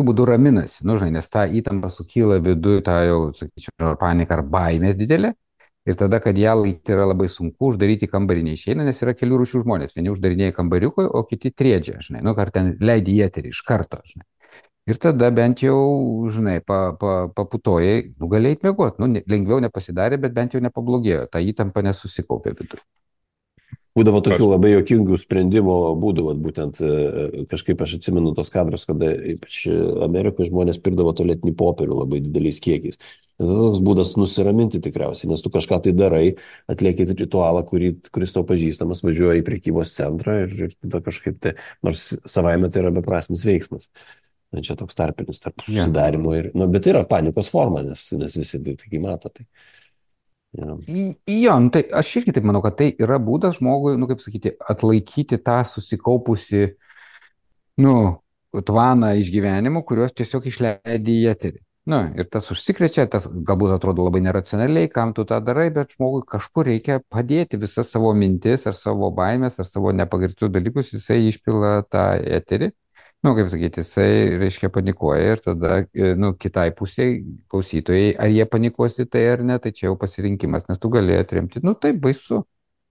būdu raminasi, nu, žinai, nes ta įtampa sukyla viduje, ta jau, sakyčiau, panika ar baimės didelė. Ir tada, kad ją laikyti yra labai sunku, uždaryti kambarį neišeina, nes yra kelių rūšių žmonės. Vieni uždarinėja kambariukui, o kiti triedžia, žinai, nu, ar ten leidži į eterį iš karto, žinai. Ir tada bent jau, žinai, paputojai, nu, galėjai mėgoti, nu, lengviau nepasidarė, bet bent jau nepablogėjo, ta įtampa nesusikaupė viduje. Būdavo tokių labai jokingų sprendimo būdų, būtent kažkaip aš atsimenu tos kadrus, kada ypač Amerikoje žmonės pirkdavo tualetinį popierių labai dideliais kiekiais. Tai toks būdas nusiraminti tikriausiai, nes tu kažką tai darai, atlieki ritualą, kuris tau pažįstamas, važiuoja į prekybos centrą ir tada kažkaip tai, nors savaime tai yra beprasmis veiksmas. Čia toks tarpinis tarp užsidarimo ir, bet tai yra panikos forma, nes visi tai mato. Tai. Jo, nu, tai aš irgi taip manau, kad tai yra būdas žmogui, nu, kaip sakyti, atlaikyti tą susikaupusi, nu, tvaną išgyvenimų, kuriuos tiesiog išleidai į eterį. Nu, ir tas užsikrečia, tas galbūt atrodo labai neracionaliai, kam tu tą darai, bet žmogui kažkur reikia padėti visas savo mintis ar savo baimės ar savo nepagristus dalykus, jisai išpila tą eterį. Nu, kaip sakyti, jisai, reiškia, panikuoja ir tada, nu, kitai pusiai klausytojai, ar jie panikuosi tai ar ne, tai čia jau pasirinkimas, nes tu gali atremti, nu, taip baisu,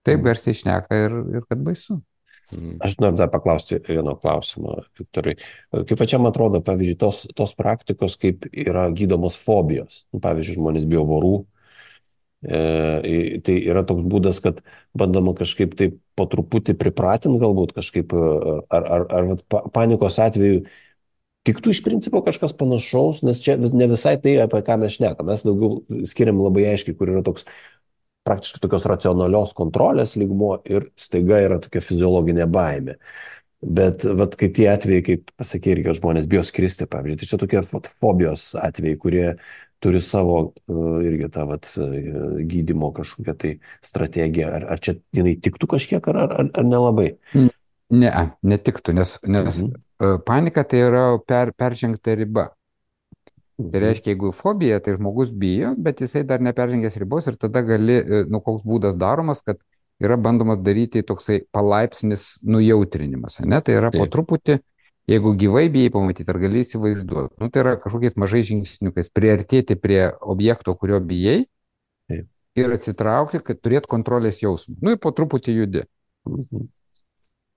taip garsiai šneka ir kad baisu. Aš noriu dar paklausti vieno klausimo, Viktorai. Kaip pačiam atrodo, pavyzdžiui, tos praktikos, kaip yra gydomos fobijos. Pavyzdžiui, žmonės bijo vorų. Tai yra toks būdas, kad bandoma kažkaip tai po truputį pripratinti galbūt kažkaip, ar panikos atveju tiktų iš principo kažkas panašaus, nes čia ne visai tai, apie ką mes šnekam. Mes daugiau skiriam labai aiškiai, kur yra toks praktiškai tokios racionalios kontrolės lygmuo ir staiga yra tokia fiziologinė baimė. Bet kai tie atvejai, kaip pasakė, irgi žmonės bijo skristi, pavyzdžiui, tai čia tokie fobijos atvejai, kurie turi savo irgi tą gydymo kažkokią tai strategiją. Ar čia jinai tiktų kažkiek, ar nelabai? Ne, netiktų, nes panika tai yra peržengta riba. Tai reiškia, jeigu fobija, tai žmogus bijo, bet jisai dar neperžengęs ribos ir tada gali, nu, koks būdas daromas, kad yra bandomas daryti toksai palaipsnis nujautrinimas, ne? Tai yra po truputį, jeigu gyvai bijai pamatyti, ar gali įsivaizduoti, nu, tai yra kažkokiais mažais žingsniukais priartėti prie objekto, kurio bijai ir atsitraukti, kad turėt kontrolės jausmą. Nu, ir po truputį judi.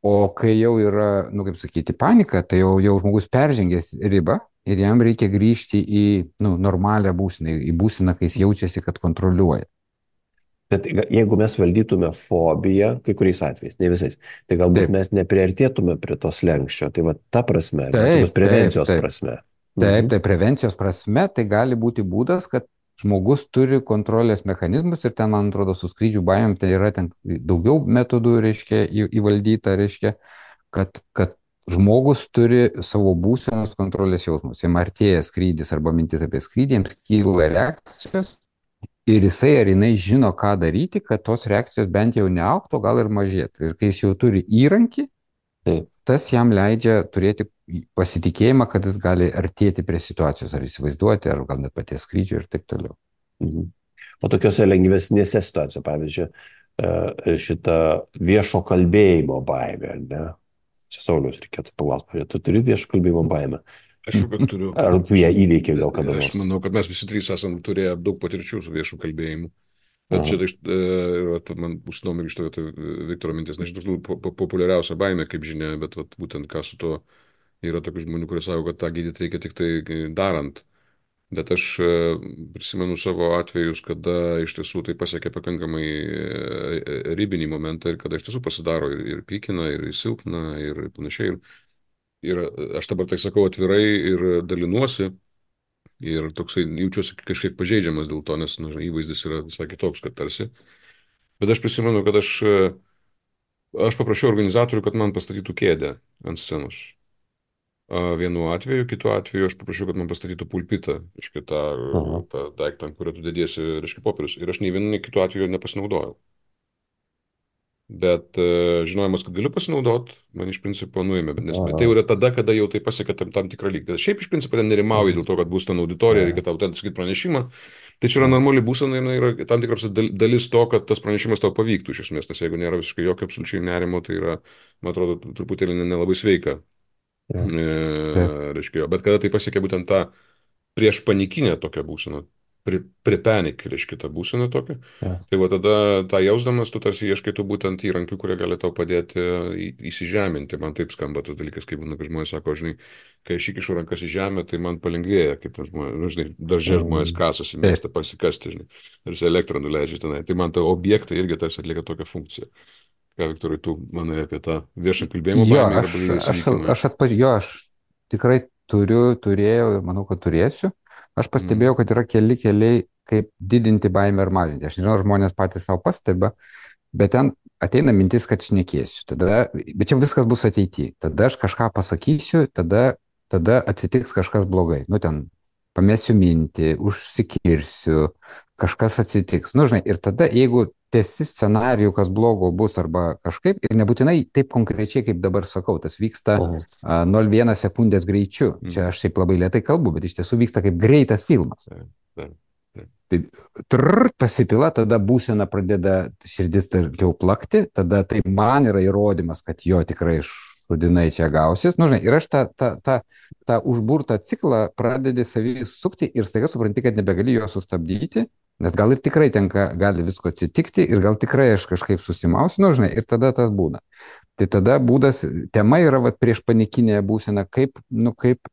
O kai jau yra, nu, kaip sakyti, panika, tai jau žmogus peržengęs ribą ir jam reikia grįžti į, nu, normalią būseną, į būseną, kai jis jaučiasi, kad kontroliuoja. Bet jeigu mes valdytume fobiją, kai kuriais atvejais, ne visais, tai galbūt mes nepriartėtume prie to slenksčio. Tai ta prasme, prevencijos prasme. Taip, tai prevencijos prasme tai gali būti būdas, kad žmogus turi kontrolės mechanizmus ir ten, man atrodo, su skrydžių baimėm tai yra ten daugiau metodų, reiškia, įvaldyta, reiškia, kad žmogus turi savo būsenos kontrolės jausmus. Jam artėja skrydis arba mintis apie skrydį, jiems kyla reakcijos. Ir jisai ar jinai žino, ką daryti, kad tos reakcijos bent jau neaugtų, gal ir mažėtų. Ir kai jis jau turi įrankį, tas jam leidžia turėti pasitikėjimą, kad jis gali artėti prie situacijos, ar įsivaizduoti, ar gal net paties skrydžio ir taip toliau. O tokiuose lengvesnėse situacijose, pavyzdžiui, šitą viešo kalbėjimo baimę, ne? Čia Sauliaus reikėtų paklausti, tu turi viešo kalbėjimo baimę? Aš jau turiu. Ar tu ją įveikė gal kada nors? Aš manau, kad mes visi trys esam turėję daug patirčių su viešu kalbėjimu. Bet čia man užsidomi iš to Viktoro mintis, nes šitas populiariausia baimė, kaip žinia, bet būtent ką su to yra tokių žmonių, kurie sako, kad tą gydyti reikia tik tai darant. Bet aš prisimenu savo atvejus, kada iš tiesų tai pasiekia pakankamai ribinį momentą ir kada iš tiesų pasidaro ir pykina, ir silpna, ir panašiai. Ir aš dabar tai sakau atvirai ir dalinuosi ir toksai jaučiuosi kažkiek pažeidžiamas dėl to, nes įvaizdis yra visai kitoks, kad tarsi. Bet aš prisimenu, kad aš paprašiau organizatorių, kad man pastatytų kėdę ant scenos. Vienu atveju, kitu atveju aš paprašiau, kad man pastatytų pulpitą, reiškia tą daiktą, ant kurio tu dediesi, reiškia popierius. Ir aš nei vienu, nei kitu atveju nepasinaudojau. Bet žinojimas, kad galiu pasinaudoti, man iš principo nuėmė. Nes tai jau yra tada, kada jau tai pasiekia tam tikrą lygį. Šiaip iš principo ten nerimauji dėl to, kad bus ten auditorija, reikia tau ten sakyti pranešimą. Tai čia yra normali būsena, yra tam tikras dalis to, kad tas pranešimas tau pavyktų iš esmės. Nes jeigu nėra visiškai jokio absoliučiai nerimo, tai yra, man atrodo, truputėlį nelabai sveika Jo, taip. Reiškia, bet kada tai pasiekia būtent tą prieš panikinę tokią būseną, pripenik, reiškia, tą būseną tokią. jo. Tai va tada tą jausdamas, tu tarsi ieškai tų būtent įrankių, kurie gali tau padėti įsižeminti. Man taip skamba tas dalykas, kaip būna, kai žmonės sako, žinai, kai aš įkišu rankas į žemę, tai man palengvėja, kaip ten žmonės, nu, žinai, daržė žmonės Mm. kasasi, Taip. mėgsta pasikasti, žinai, ir jis elektrą nuleidžia tenai. Tai man ta objektai irgi tarsi atlieka tokią funkciją. Ką, Viktorai, tu manai apie tą viešą kalbėjimo Jo, baimę arba įsivykimą? aš tikrai turėjau ir manau, kad turėsiu. Aš Mm. pastebėjau, kad yra keli keliai, kaip didinti baimę ar mažinti. Aš nežinau, ar žmonės patys savo pastebė, bet ten ateina mintis, kad šnekėsiu. Bet čia viskas bus ateityje. Tada aš kažką pasakysiu, tada atsitiks kažkas blogai. Nu, ten pamėsiu mintį, užsikirsiu, kažkas atsitiks. Nu, žinai, ir tada, jeigu tesi scenarijų, kas blogo bus arba kažkaip, ir nebūtinai taip konkrečiai, kaip dabar sakau, tas vyksta Mhm. 0,1 sekundės greičiu. Mm. Čia aš šiaip labai lietai kalbu, bet iš tiesų vyksta kaip greitas filmas. Taip, taip, taip. Tai pasipila, tada būsena pradeda širdis jau plakti, tada tai man yra įrodymas, kad jo tikrai šudinai čia gausis. Nu, žinai, ir aš tą užburtą ciklą pradedi savį sukti ir staiga supranti, kad nebegali jo sustabdyti, nes gal ir tikrai gali visko atsitikti ir gal tikrai aš kažkaip susimausiu, nu, žinai, ir tada tas būna. Tai tada tema yra prieš panikinę būseną, kaip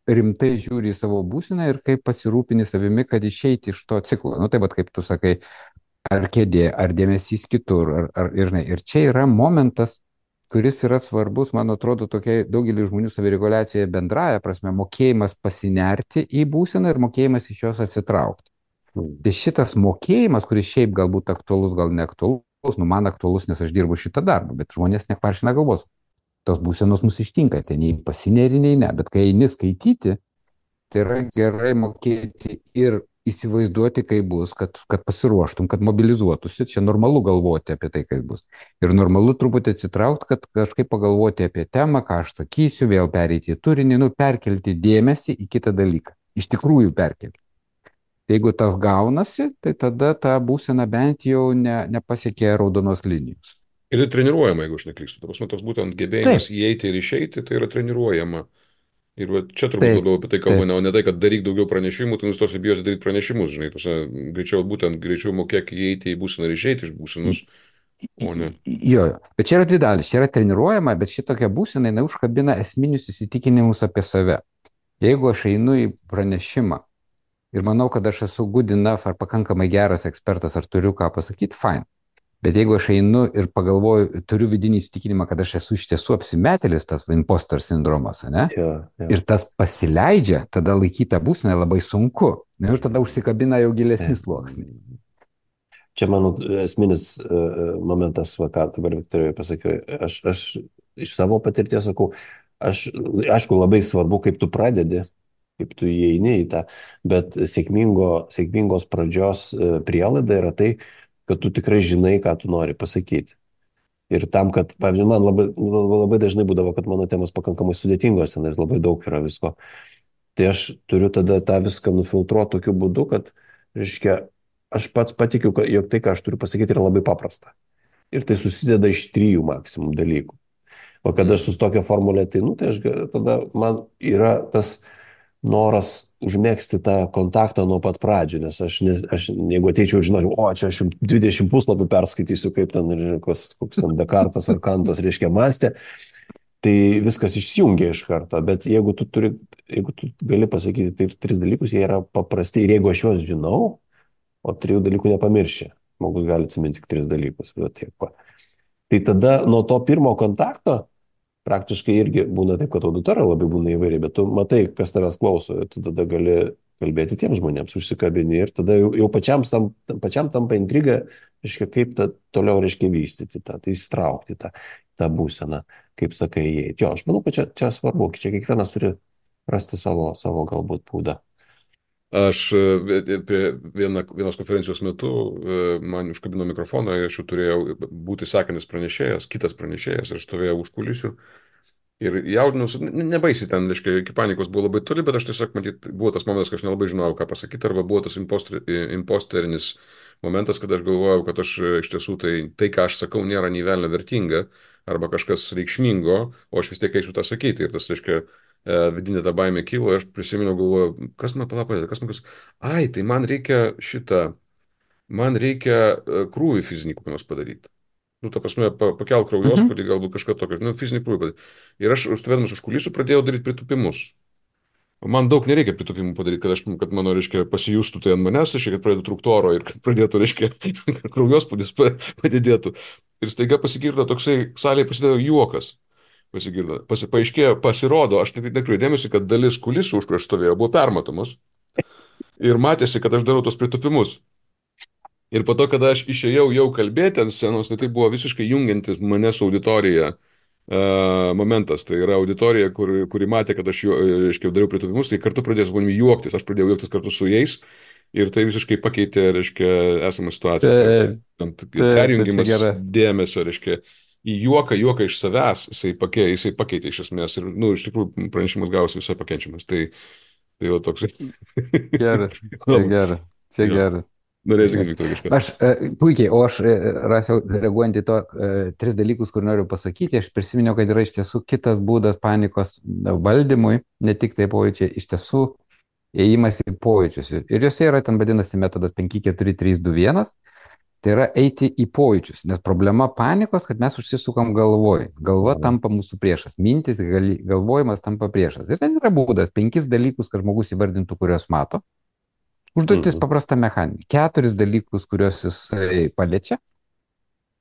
rimtai žiūri į savo būseną ir kaip pasirūpini savimi, kad išeiti iš to ciklo. Nu, tai kaip tu sakai, ar kėdė, ar dėmesys kitur, ir čia yra momentas, kuris yra svarbus, man atrodo, tokiai daugelį žmonių savireguliacija bendraja prasme, mokėjimas pasinerti į būseną ir mokėjimas iš jos atsitraukti. Tai šitas mokėjimas, kuris šiaip galbūt aktualus, gal neaktualus, nu man aktualus, nes aš dirbu šitą darbą, bet žmonės nekvaršina galvos. Tos būsenos mus ištinka, tai nei pasineri, nei ne, bet kai eini skaityti, tai yra gerai mokėti ir įsivaizduoti, kaip bus, kad pasiruoštum, kad mobilizuotųsi, čia normalu galvoti apie tai, kaip bus. Ir normalu truputį atsitraukti, kad kažkaip pagalvoti apie temą, ką aš sakysiu, vėl pereiti į turinį, perkelti dėmesį į kitą dalyką. Iš tikrųjų perkelti. Jeigu tas gaunasi, tai tada ta būsena bent jau nepasiekė raudonos linijos. Ir tai treniruojama, jeigu aš neklystu. Toks būtent gebėjimas įeiti ir išeiti, tai yra treniruojama. Ir čia turbūt labiau apie tai kalba, o ne tai, kad daryk daugiau pranešimų, tai nustosi bijoti daryti pranešimus, žinai. Greičiau mokėk įeiti į būseną ir išeiti iš būsenos, o ne. Jo, bet čia yra dvi dalis. Čia yra treniruojama, bet šitokia būsena, jinai užkabina esminius įsitikinimus apie save. Jeigu aš einu į pranešimą ir manau, kad aš esu good enough ar pakankamai geras ekspertas, ar turiu ką pasakyti, fine. Bet jeigu aš einu ir pagalvoju, turiu vidinį įsitikinimą, kad aš esu iš tiesų apsimetėlis, tas imposter sindromas, ne? Jo. Ir tas pasileidžia, tada laikyta būsena labai sunku. Ir tada užsikabina jau gilesnis sluoksnis. Čia mano esminis momentas, ką dabar Viktorijai pasakiau, aš iš savo patirties sakau, aišku, labai svarbu, kaip tu pradedi, kaip tu įeini į tą, bet sėkmingos pradžios prielaida yra tai, kad tu tikrai žinai, ką tu nori pasakyti. Ir tam, kad, pavyzdžiui, man labai dažnai būdavo, kad mano temos pakankamai sudėtingos, nes labai daug yra visko. Tai aš turiu tada tą viską nufiltruoti tokiu būdu, kad, reiškia, aš pats patikiu, jog tai, ką aš turiu pasakyti, yra labai paprasta. Ir tai susideda iš 3 maksimum dalykų. O kada aš su tokia formulė, tai, tai tada man yra tas noras užmėgsti tą kontaktą nuo pat pradžių, nes aš jeigu ateičiau ir žinočiau, čia aš 20 puslapių perskaitysiu, kaip ten, koks ten Dekartas ar Kantas, reiškia, mąstė, tai viskas išsijungia iš karto, bet jeigu tu gali pasakyti taip 3 dalykus, jie yra paprasti ir jeigu aš juos žinau, o 3 dalykų nepamirši, žmogus gali atsiminti tik 3 dalykus, bet tiek pa. Tai tada nuo to pirmo kontakto praktiškai irgi būna taip, kad auditorija labai būna įvairiai, bet tu matai, kas tavęs klauso, tu tada gali kalbėti tiems žmonėms, užsikabini ir tada jau pačiam tampa intriga, reiškia, kaip toliau, reiškia, vystyti tai įsitraukti tą būseną, kaip sakai, įeiti. Jo, aš manau, kad čia svarbu, čia kiekvienas turi rasti savo galbūt būdą. Aš prie vienos konferencijos metu man užkabino mikrofoną, aš jau turėjau būti sakantis pranešėjas, kitas pranešėjas, ir aš stovėjau už kulisių. Ir jaudinausi, nebaisiai ten, reiškia, iki panikos buvo labai toli, bet aš tiesiog, matyt, buvo tas momentas, kad aš nelabai žinojau, ką pasakyti, arba buvo tas imposterinis momentas, kad aš galvojau, kad aš iš tiesų tai, ką aš sakau, nėra nei velnio vertinga, arba kažkas reikšmingo, o aš vis tiek eisiu tą sakyti. Ir tas, reiškia, vidinė ta baimė kilo, aš prisiminiau, galvoju, kas man palapė, ai, tai man reikia krūvį fizinį kokį nors padaryti. Nu, ta prasme, pakelk Mhm. kraujospūdį, galbūt kažką tokio, nu, fizinį krūvį padaryti. Ir aš, stovėdamas už kulisų, pradėjau daryti pritūpimus. O man daug nereikia pritūpimų padaryti, kad mano, reiškia, pasijustų tai ant manęs, reiškia, kad pradėtų trūkti oro ir kad pradėtų, reiškia, kraujospūdis padidėtų. Ir staiga pasigirdo toksai, salėje pasidėjo juokas. Pasigirdo. Paaiškėjo, pasirodo, aš nekreipiau dėmesį, kad dalis kulisų, už kur aš stovėjau, buvo permatomos. Ir matėsi, kad aš darau tos pritūpimus. Ir po to, kada aš išėjau jau kalbėti ant scenos, tai buvo visiškai jungiantis mane su auditorija momentas. Tai yra auditorija, kuri matė, kad aš jau, reiškia, dariau pritūpimus, tai kartu pradėjo su manimi juoktis. Aš pradėjau juoktis kartu su jais ir tai visiškai pakeitė, reiškia, esamą situaciją. Tai Taip, taip, čia perjungimas gera. dėmesio, reiškia, į juoką iš savęs, jisai pakeitė iš esmės. Ir, nu, iš tikrųjų, pranešimas gavosi visai pakenčiamas. Tai jau toks. Geras, čia Labai. geras, čia Jo. geras. Norėjai sakyti, Gerai. Viktor, kažką. Aš puikiai, o aš rasiau, reaguojant į to tris dalykus, kur noriu pasakyti, aš prisiminiau, kad yra iš tiesų kitas būdas panikos valdymui, ne tik tai pojūčiai, iš tiesų ėjimas į pojūčius. Ir juose yra ten vadinasi metodas 5-4-3-2-1, tai yra eiti į pojūčius, nes problema panikos, kad mes užsisukam galvoj. Galva tampa mūsų priešas, mintis, galvojimas tampa priešas. Ir ten yra būdas, 5 dalykus, kad žmogus įvardintų, kuriuos mato. Užduotis Mhm. paprasta mechaninė. 4 dalykus, kuriuos jisai paliečia.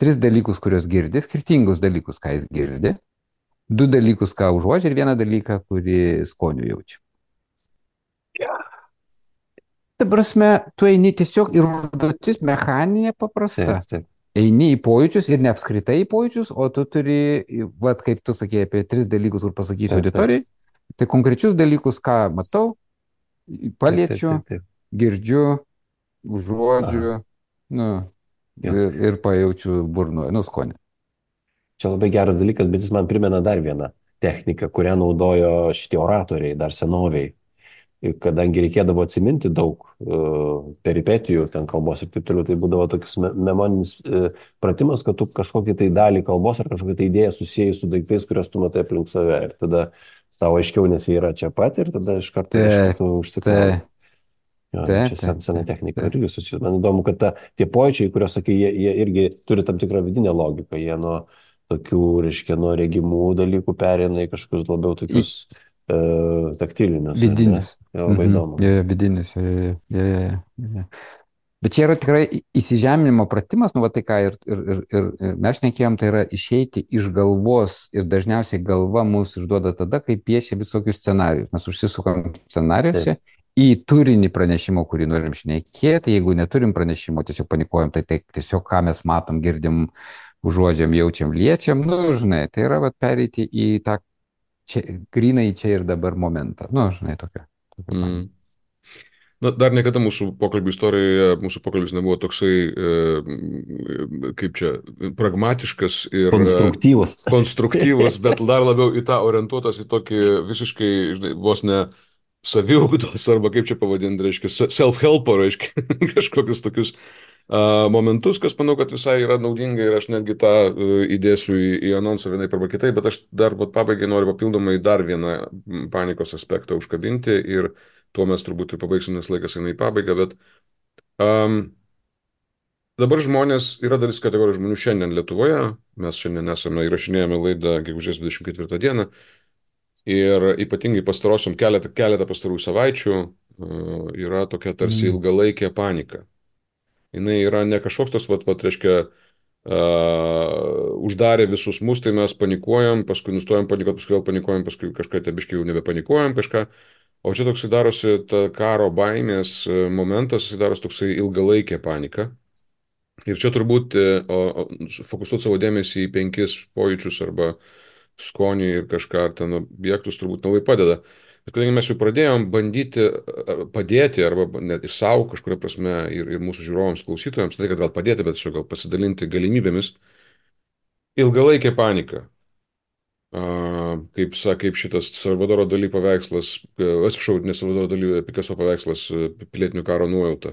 3 dalykus, kuriuos girdi. Skirtingus dalykus, ką jis girdi. 2 dalykus, ką užuodžia ir 1 dalyką, kurį skoniu jaučia. Ta prasme, tu eini tiesiog ir užduotis mechaninė paprasta. Taip, taip. Eini į pojūčius ir ne apskritai į pojūčius, o tu turi, vat kaip tu sakei apie 3 dalykus, kur pasakysiu Taip, taip. auditorijai, tai konkrečius dalykus, ką matau, paliečiu, Taip, taip, taip. girdžiu, užuodžiu, nu, Jo. ir pajaučiu burnoje, nu, skonį. Čia labai geras dalykas, bet jis man primena dar vieną techniką, kurią naudojo šitie oratoriai dar senoviai. Ir kadangi reikėdavo atsiminti daug peripetijų, ten kalbos ir taip toliau, tai būdavo toks memoninis pratimas, kad tu kažkokį tai dalį kalbos ar kažkokią tai idėją susijai su daiktais, kuriuos tu matai aplink save. Ir tada tau aiškiau, nes jie yra čia pat ir tada iš karto tu užsikrauni. Jo, Taip, čia sena technika taip. irgi susijus. Man įdomu, kad tie pojūčiai, kuriuos sakai, jie irgi turi tam tikrą vidinę logiką. Jie nuo tokių, reiškia, nuo regimų dalykų pereina į kažkokius labiau tokius taktilinius. Vidinius. Labai įdomu. Vidinius. Bet čia yra tikrai įsižeminimo pratimas, nu, va tai ką ir mes šnekėjom, tai yra išeiti iš galvos ir dažniausiai galva mūsų išduoda tada, kai piešia visokius scenarius. Mes užsisukam scenariuose į turinį pranešimo, kurį norim šnekėti. Jeigu neturim pranešimo, tiesiog panikuojam, tai tiesiog ką mes matom, girdim, užuodžiam, jaučiam, liečiam, nu, žinai, tai yra va pereiti į tą grinai čia ir dabar momentą. Nu, žinai, tokia. Na, dar niekada mūsų pokalbių istorijoje, mūsų pokalbis nebuvo toksai, kaip čia, pragmatiškas ir konstruktyvus, bet dar labiau į tą orientuotas į tokį visiškai, žinai, vos ne saviugdos, arba kaip čia pavadinti, reiškia, self-helpo, reiškia, kažkokius tokius momentus, kas manau, kad visai yra naudinga ir aš netgi tą įdėsiu į anonsą vienaip arba kitaip, bet aš dar pabaigai noriu papildomai dar vieną panikos aspektą užkabinti ir tuo mes turbūt ir pabaigsim, nes laikas eina į pabaigą, bet dabar yra dalis kategorijų žmonių šiandien Lietuvoje, mes šiandien įrašinėjame laidą gegužės 24 dieną ir ypatingai keletą pastarųjų savaičių yra tokia tarsi ilgalaikė panika. Jis yra ne kažkoks tas, reiškia, uždarė visus mus, tai mes panikuojam, paskui nustojam panikuoti, paskui vėl panikuojam, paskui kažką tebiškai jau nebepanikuojam kažką. O čia toksai darosi ta karo baimės momentas, jis darosi toksai ilgalaikė panika. Ir čia turbūt fokusuoti savo dėmesį į 5 pojūčius arba skonį ir kažką ar ten objektus turbūt labai padeda. Bet kadangi mes jau pradėjom bandyti padėti arba net ir savo kažkuria prasme ir mūsų žiūrovams, klausytojams, tai kad gal padėti, bet tiesiog gal pasidalinti galimybėmis. Ilgalaikė panika. Kaip šitas Salvadoro Dali paveikslas, atsiprašau, ne Salvadoro Dali, Picasso paveikslas Pilietinio karo nuojauta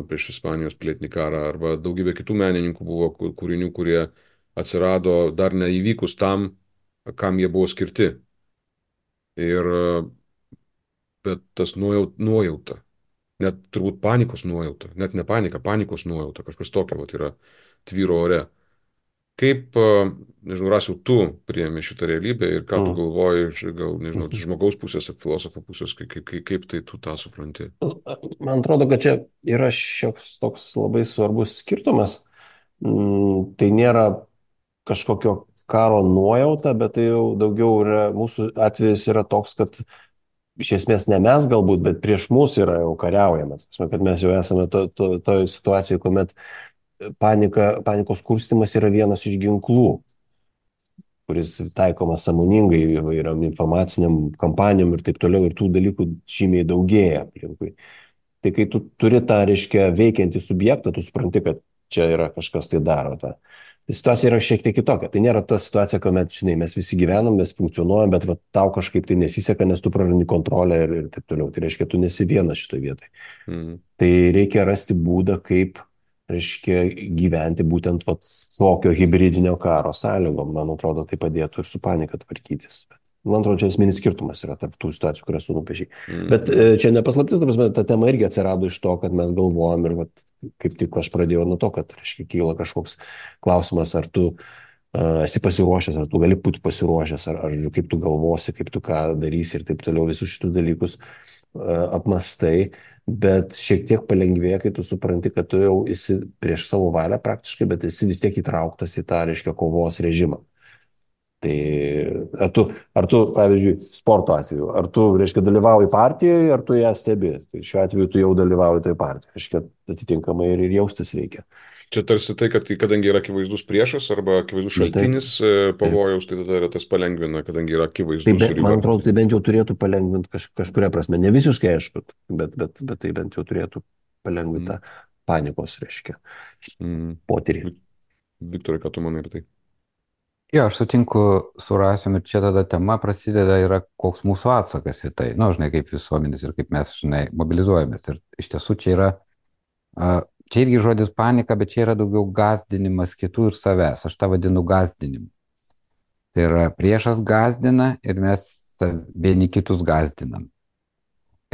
prieš Ispanijos pilietinį karą, arba daugybė kitų menininkų buvo kūrinių, kurie atsirado dar neįvykus tam, kam jie buvo skirti. Ir bet tas nuojauta, net turbūt panikos nuojauta, net ne panika, panikos nuojauta, kažkas tokio vat, yra tvyro ore. Kaip, nežinau, Rasiau, tu priemi šitą realybę ir ką tu Mm. galvoji, gal, nežinau, iš Mhm. žmogaus pusės ar filosofo pusės, kaip tai tu tą supranti? Man atrodo, kad čia yra šioks toks labai svarbus skirtumas. Tai nėra kažkokio karo nuojauta, bet tai jau daugiau yra, mūsų atvejis yra toks, kad iš esmės ne mes galbūt, bet prieš mus yra jau kariaujamas. Kad mes jau esame toje situacijoje, kuomet panikos kurstimas yra vienas iš ginklų, kuris taikomas sąmoningai įvairiam informaciniam kampanijom ir taip toliau, ir tų dalykų žymiai daugėja aplinkui. Tai kai tu turi tą, reiškia, veikiantį subjektą, tu supranti, kad čia yra kažkas tai daro tą. Tai situacija yra šiek tiek kitokia. Tai nėra ta situacija, kuomet, žinai, mes visi gyvenam, mes funkcionuojam, bet va, tau kažkaip tai nesiseka, nes tu prarandi kontrolę ir taip toliau. Tai reiškia, tu nesi vienas šitoje vietoje. Mhm. Tai reikia rasti būdą, kaip, reiškia, gyventi būtent va, tokio hibridinio karo sąlygom. Man atrodo, tai padėtų ir su panika tvarkytis. Man atrodo, čia esminis skirtumas yra tarp tų situacijų, kurias tu nupiešiai. Bet čia nepaslaptis, ta tema irgi atsirado iš to, kad mes galvojam ir vat, kaip tik aš pradėjau nuo to, kad, reiškia, kyla kažkoks klausimas, ar tu esi pasiruošęs, ar tu gali būti pasiruošęs, ar kaip tu galvosi, kaip tu ką darysi ir taip toliau, visus šitus dalykus apmastai, bet šiek tiek palengvėja, kai tu supranti, kad tu jau esi prieš savo valią praktiškai, bet esi vis tiek įtrauktas į tą, reiškia, kovos režimą. Tai ar tu, pavyzdžiui, sporto atveju, ar tu, reiškia, dalyvauji partijoje, ar tu ją stebi. Tai šiuo atveju tu jau dalyvauji toje partijoje. Reiškia, atitinkamai ir jaustis reikia. Čia tarsi tai, kad kadangi yra akivaizdus priešas arba akivaizdus šaltinis pavojaus, tai tada yra tas palengvina, kadangi yra akivaizdus ir Man yra. atrodo, tai bent jau turėtų palengvinti kažkuria prasme. Ne visiškai aišku, bet tai bent jau turėtų palengvinti tą panikos, reiškia, potyrį. Viktorai, ką tu manai apie tai? Jo, aš sutinku su Rasium ir čia tada tema prasideda yra koks mūsų atsakas į tai. Na, žinai, kaip visuomenės ir kaip mes, žinai, mobilizuojamės. Ir iš tiesų čia yra, čia irgi žodis panika, bet čia yra daugiau gąsdinimas kitų ir savęs. Aš tą vadinu gąsdinimu. Tai yra priešas gąsdina ir mes vieni kitus gąsdinam.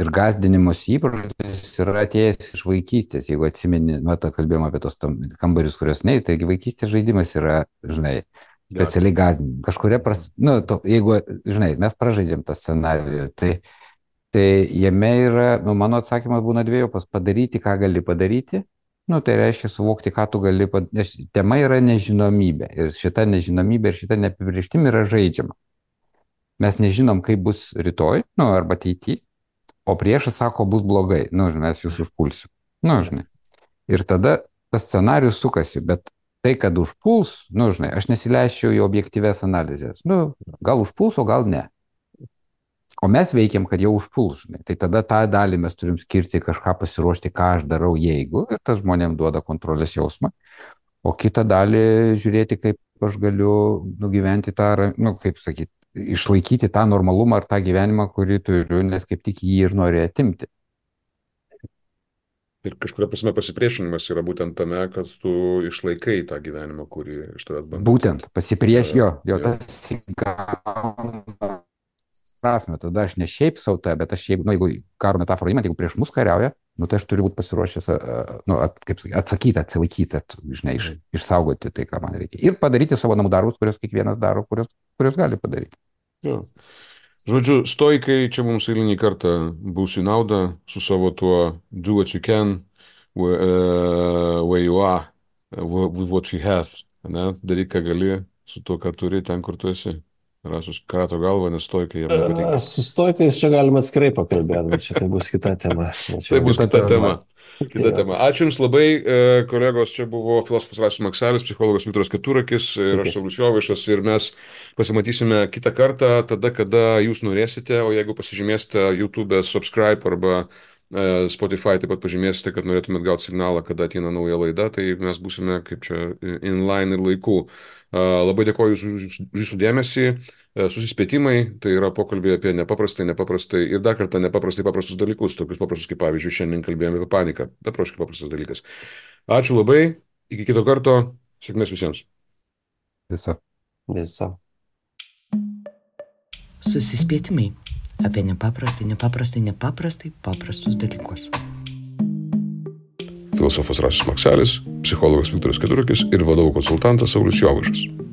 Ir gąsdinimos įprotis yra atėjęs iš vaikystės. Jeigu atsimeni, kalbėjom apie tos kambarius, kurios nei, taigi vaikystės žaidimas yra, žinai, specialiai gąsdinimai. Kažkuria prasme, jeigu, žinai, mes pražaidžiam tą scenarijų, tai jame yra, mano atsakymas būna dviejopas: padaryti, ką gali padaryti. Tai reiškia suvokti, ką tu gali padaryti. Nes tema yra nežinomybė. Ir šita nežinomybė ir šita neapibrėžtim yra žaidžiama. Mes nežinom, kaip bus rytoj, arba ateityje. O priešas sako, bus blogai, mes jūs užpulsim. Žinai. Ir tada tas scenarius sukasi, bet tai, kad užpuls, žinai, aš nesileisčiau į objektyves analizės. Gal užpuls, o gal ne. O mes veikiam, kad jau užpuls, žinai. Tai tada tą dalį mes turim skirti kažką pasiruošti, ką aš darau, jeigu, ir tas žmonėm duoda kontrolės jausmą. O kitą dalį žiūrėti, kaip aš galiu nugyventi tą, kaip sakyti, išlaikyti tą normalumą ar tą gyvenimą, kurį turiu, nes kaip tik jį ir nori atimti. Ir kažkuria prasme pasipriešinimas yra būtent tame, kad tu išlaikai tą gyvenimą, kurį iš tavęs bando. Būtent, tas įgauna prasme. Tada aš ne šiaip savo tą, bet aš jeigu karo metaforą įmant, jeigu prieš mus kariauja, tai aš turiu būti pasiruošęs, atsakyti, atsilaikyti, žinai, išsaugoti tai, ką man reikia. Ir padaryti savo namų darbus, kuriuos kiekvienas daro, kuriuos gali padaryti. Jo. Žodžiu, stoikai čia mums eilinį kartą bus į naudą su savo tuo do what you can, where you are, with what you have. Daryk, ką gali su tuo, ką turi, ten, kur tu esi. Rasus krato galvą, nes stoikai jam nepatinka. Su stoikais čia galima atskirai pakalbėti, bet čia tai bus kita tema. Tai bus kita tema. Kita tema. Ačiū Jums labai, kolegos, čia buvo filosofas Rasius Makselis, psichologas Viktoras Keturakis ir aš Saulius Jovaišas ir mes pasimatysime kitą kartą, tada, kada Jūs norėsite, o jeigu pasižymėsite YouTube subscribe arba Spotify taip pat pažymėsite, kad norėtumėt gauti signalą, kada ateina nauja laida, tai mes būsime kaip čia inline ir laiku. Labai dėkoju už Jūsų dėmesį, susispėtimai, tai yra pokalbė apie nepaprastai ir dar kartą nepaprastai paprastus dalykus, tokius paprastus kaip pavyzdžiui šiandien kalbėjome apie paniką, beprotiškai paprastas dalykas. Ačiū labai, iki kito karto, sėkmės visiems. Viso. Susispėtimai apie nepaprastai paprastus dalykus. Filosofas Rasis Makselis, psichologas Viktoras Keturakis ir vadovų konsultantas Saulius Jovaišas.